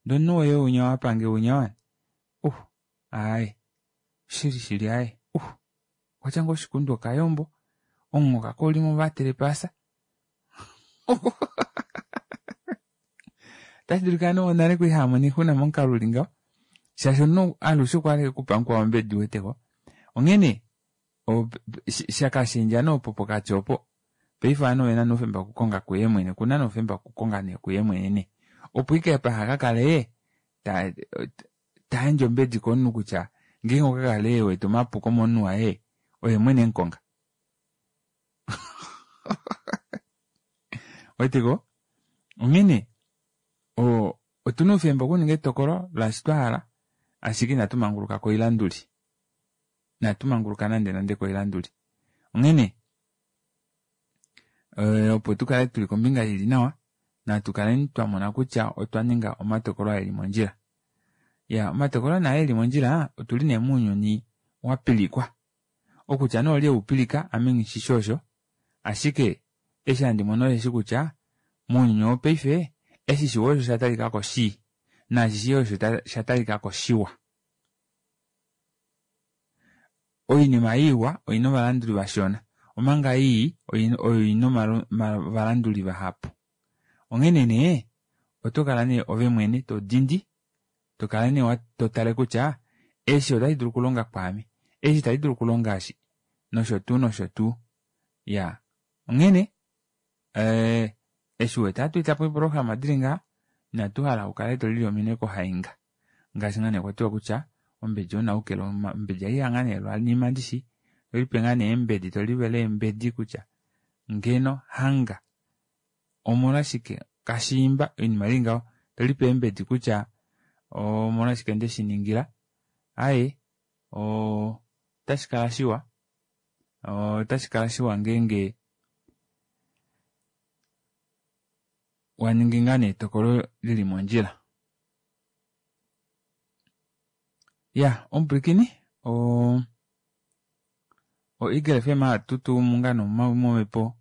ndee omunhu woye winya owapange winya wani oh aaye shili shili aaye uh okwatya ngoo oshikundu okayombo omunghoka koulimo vatele paasa otashi dulika nee nale kwali haamono oixuna momukalo uli ngaho shaashi omunhu alushe okwahala okupa mukwao ombedi uweteko onghene shakashendja nee opo pokati opo paife ovanhu ovena nee oufemba wokukonga kuye mwene okuna nee oufemba wokukonga nee kuye mwene nee opo ike paha kakale tayandje ombedi komunhu kutya ngeenge okwa kale ewete omapuko momunhu waye oye mwene emukonga weteko onghene otuna oufemba okuninga etokolo laashi twahala ashike inatu manguluka koilanduli inatu manguluka nande nande koilanduli onghene opo tukale tuli kombinga ili nawa natu kaleni twamona kutya otwa ninga omatokolo eli mondjila ya omatokolo naa eli mondjila otuli nee mounyuni wapilikwa okutya nee olye eupilika ame nghishishi osho ashike eshi handi mono osheshi kutya mounyuni wopaife eshi shiwa osho shatalikako shii naashi shii osho shatalikako shiwa oinima iwa oina ovalanduli vashona omanga ii oyo ina ovalanduli vahapu onghene nee otokala nee ove mwene todindi tokala nee totale kutya eshi otashi dulu okulonga kwaame eshi itashi dulu okulonga eshi nosho tuu nosho tuu iya onghene eshi uwete hatu etapo eeprograma dili ngaha inatu hala ukale tolili ominwe kohainga ngaashi ngaa nee kwatiwa kutya Ombedi onaukela ombedi aiya ngaa nee lwanima ndishi tolipe ngaa nee eembedi tolivele eembedi kutya ngeno hanga omolwashike kashiimba oinima ili ngaho tolipe eembedi kutya omolwashike ndeshiningila aaye otashi kala shiwa otashi kala shiwa ngeenge waningi ngaa nee etokolo lili mondjila. Ya omupwilikini o o Eagle F M hatutumu ngaa nee momhepo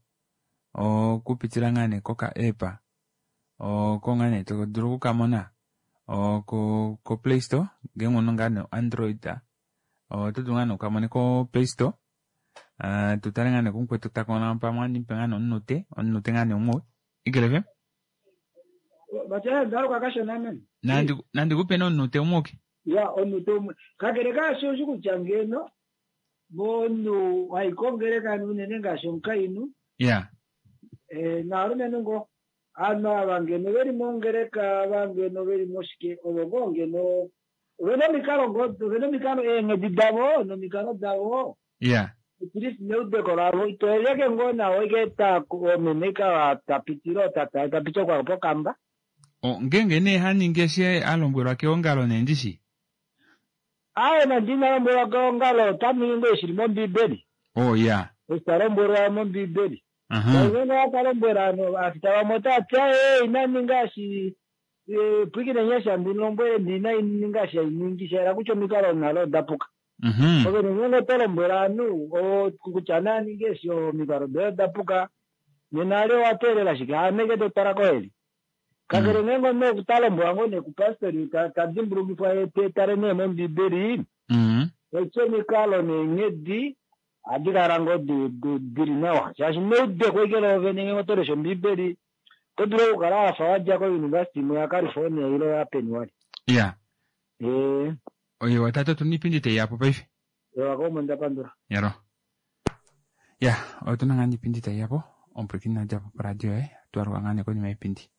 okupitila ngaa nee koka app oko ngaa nee todulu okukamona ko ko Play Store ngeenge una ngaa nee Android oto dulu ngaa nee ukamone ko Play Store tutale ngaa nee kumukwetu takona pamwe anipe ngaa nee omunute omunute ngaa nee umwe Eagle F M nandi nandi kupe nee omunute umwe oke ya omunute umwe kakele kaasho oshi kutya ngeno momunhu waikongeleka unene ngaashi omukainhu ya eh naalumenhu ngo aanhu ava ngeno veli mongeleka ava ngeno veli moshike ovo ngoo ngeno ovena omikalo ngoo ovena omikalo eenghedi davo nomikalo davo ya at least neudeko lavo itoeleke ngoo nawo ike ta omeme ka tapitile tata tapita kwa pokamba ngeenge nee haningi eshi a lombwelwa keongalo nee ndishi aye nandi ina lombwelwa keongalo otaningi ngoo shili mombiibeli oh ya ita lombwelwa mombiibeli ngeenge akalombwela afita vamwe otati aye inaninga shi pwikine nyesha ndilombwele ndina ininga sha iningi shaela kutya omikalo nalo odapuka ovene ngeenge oto lombwela ovanhu kutya naninge eshi omikalo doye odapuka nena ale owateelela shike haameke totala koheli kakele ngeenge omunhu ta lombwelwa ngoo nee kupastori tadimbulukifwa tale nee mombiibeli eti omikalo neenghedi ohadi kala ngoo dili nawa shaashi neudeko ike loovene ngeenge oto lesha ombiibeli oto dulu okukala wafa wadja kouniversity imwe yaCalifornia ile yapeni wali ya ee oye watatu otuna iipindi taiyapo paife ewa komo ndapandula yalo ya otuna ngaa niipindi taiyapo omupwilikini nadjapo poradio yoye twaluka ngaa nee konima yeipindi.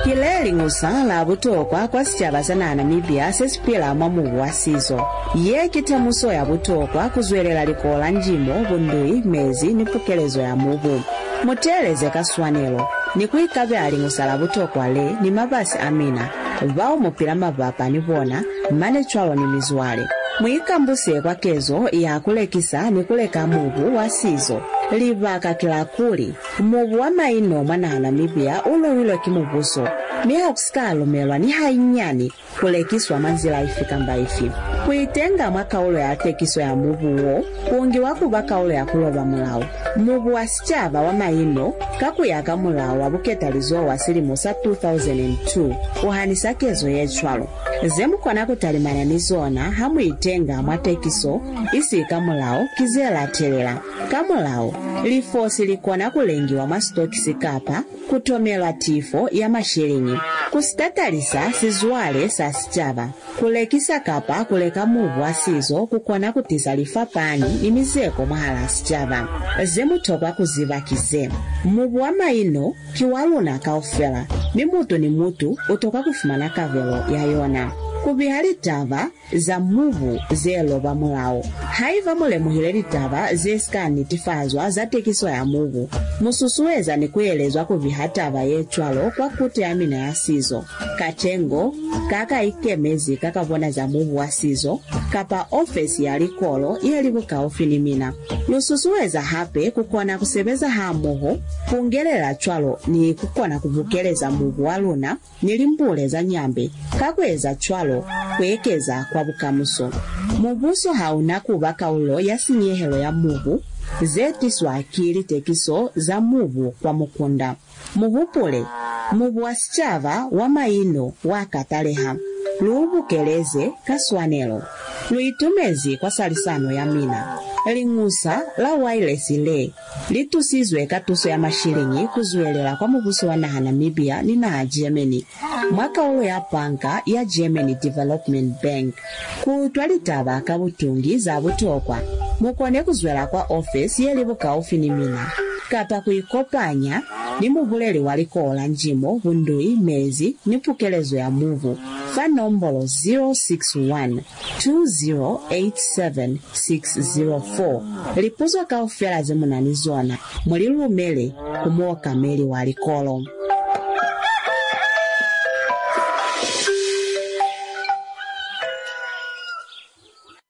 Kile liñusa la butokwa kwa sicaba sa naha Namibia se si pila mwa mubu wa sizo. Ye ki temuso ya butokwa kuzwelela likolo la njimo, bundui, mezi ni pukelezo ya mubu. Muteeleze ka swanelo ni kuikabela liñusa la butokwa le ni mabasi a mina bao mupila mabapa ni bona mane cwalo ni mizwale. Muikambuse kwa kezo ya kulekisa ni kuleka mubu wa sizo. Libaka ki la kuli mubu wa maino mwa naha Namibia uluwilwe ki mubuso mi hakusika lumelwa ni hainyani kulekiswa mwa nzila ifi kamba ifi. Kuitenga mwa kaulo ya tekiso ya mubu wo kuungiwa kuba kaulo ya kuloba mulao. Mubu wa sicaba wa maino kakuya ka mulao wa buketalizo wa silimo sa two thousand two uhanisa kezo ye cwalo. Ze mukona kutalimana ni zona ha muitenga mwa tekiso isi ka mulao ki ze latelela. Ka mulao lifosi likona kulengiwa mwa sitokisi kapa kutomelwa tifo ya mashilingi kusitatalisa sizwale sa sicaba kulekisa kapa kuleka mubu wa sizo kukona kutisa lifapani ni mizeko mwahala sicaba. Ze mutokwa kuziba ki ze mubu wa maino ki wa luna kaufela mi mutu ni mutu utokwa kufumana kavelo ya yona. Kubiha litaba za mubu ze loba mulao. Haiba mulemuhile litaba ze sika netifazwa za tekiso ya mubu, mususueza ni kuelezwa kubiha taba ye cwalo kwa kutu ya mina ya sizo, katengo kaka ikemezi kaka bona za mubu wa sizo, kapa ofesi ya likolo yeli bukaufi ni mina. Lususueza hape kukona kusebeza hamoho, kungelela cwalo ni kukona kubukeleza mubu wa luna ni limbule za nyambe, kakueza cwalo kuekeza kwa bukamuso. Mubuso hauna kuba kaulo ya sinyehelo ya mubu ze tiswa ki litekiso za mubu kwa mukunda. Muhupule, mubu wa sicaba wa maino wa kataleha. Luubukeleze ka swanelo. Luitumezi kwa salisano ya mina. Liñusa la wireless le litusizwe ka tuso ya mashilingi kuzwelela kwa mubuso wa naha Namibia ni naha Germany mwa kaulo ya panka ya Germany Development Bank. Kuutwa litaba ka butungi za butokwa mukone kuzwela kwa office ye li bukaufi ni mina kapa kuikopanya ni mubuleli wa likolo la njimo, bundui, mezi ni pukelezo ya mubu fa nombolo zero six one, two zero eight seven six zero four. Lipuzo kaufela ze munani zona mulilumele ku muokameli wa likolo.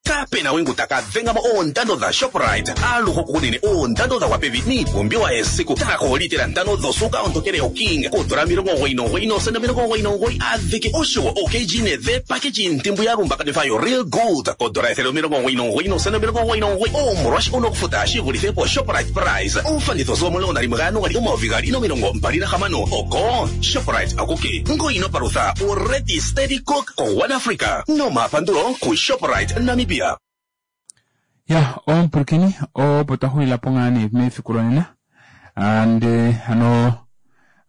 Kape na wengu taka dhenga mo oondando dha Shoprite aluhe okunene oondando dha gwa pevi niipumbiwa yesiku taka ntano dhosuuka ontokele yoKing koondola omilongo omugoyi nomugoyi noosenda omilongo omugoyi nomugoyi adhike oshowo oKG ne dhe package ntimbu ya lumbakanithwa yo Real Gold koondola ethele omilongo omugoyi nomugoyi noosenda omilongo omugoyi nomugoyi omolwashike wuna okufuta shi vulithe po Shoprite price oofanditho sigo omulongo nalimwe gaJanuali omayovi gaali nomilongo mbali nahamano oko Shoprite akuke ngoyi ino palutha o Ready Steady Cook ko One Africa nomapandulo ku Shoprite Namibia. Ya, omupulakeni opo twa xulila po ngaa nee mefiku lonena ande hano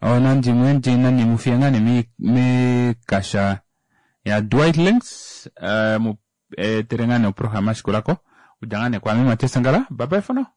onandimwe ndi nani mufiya ngaa nee mekasha ya Dwight Links uh, mu etere ngaa nee oprograma shikulako kudja ngaa nee kwaame Matias Sangala. Bye bye for now.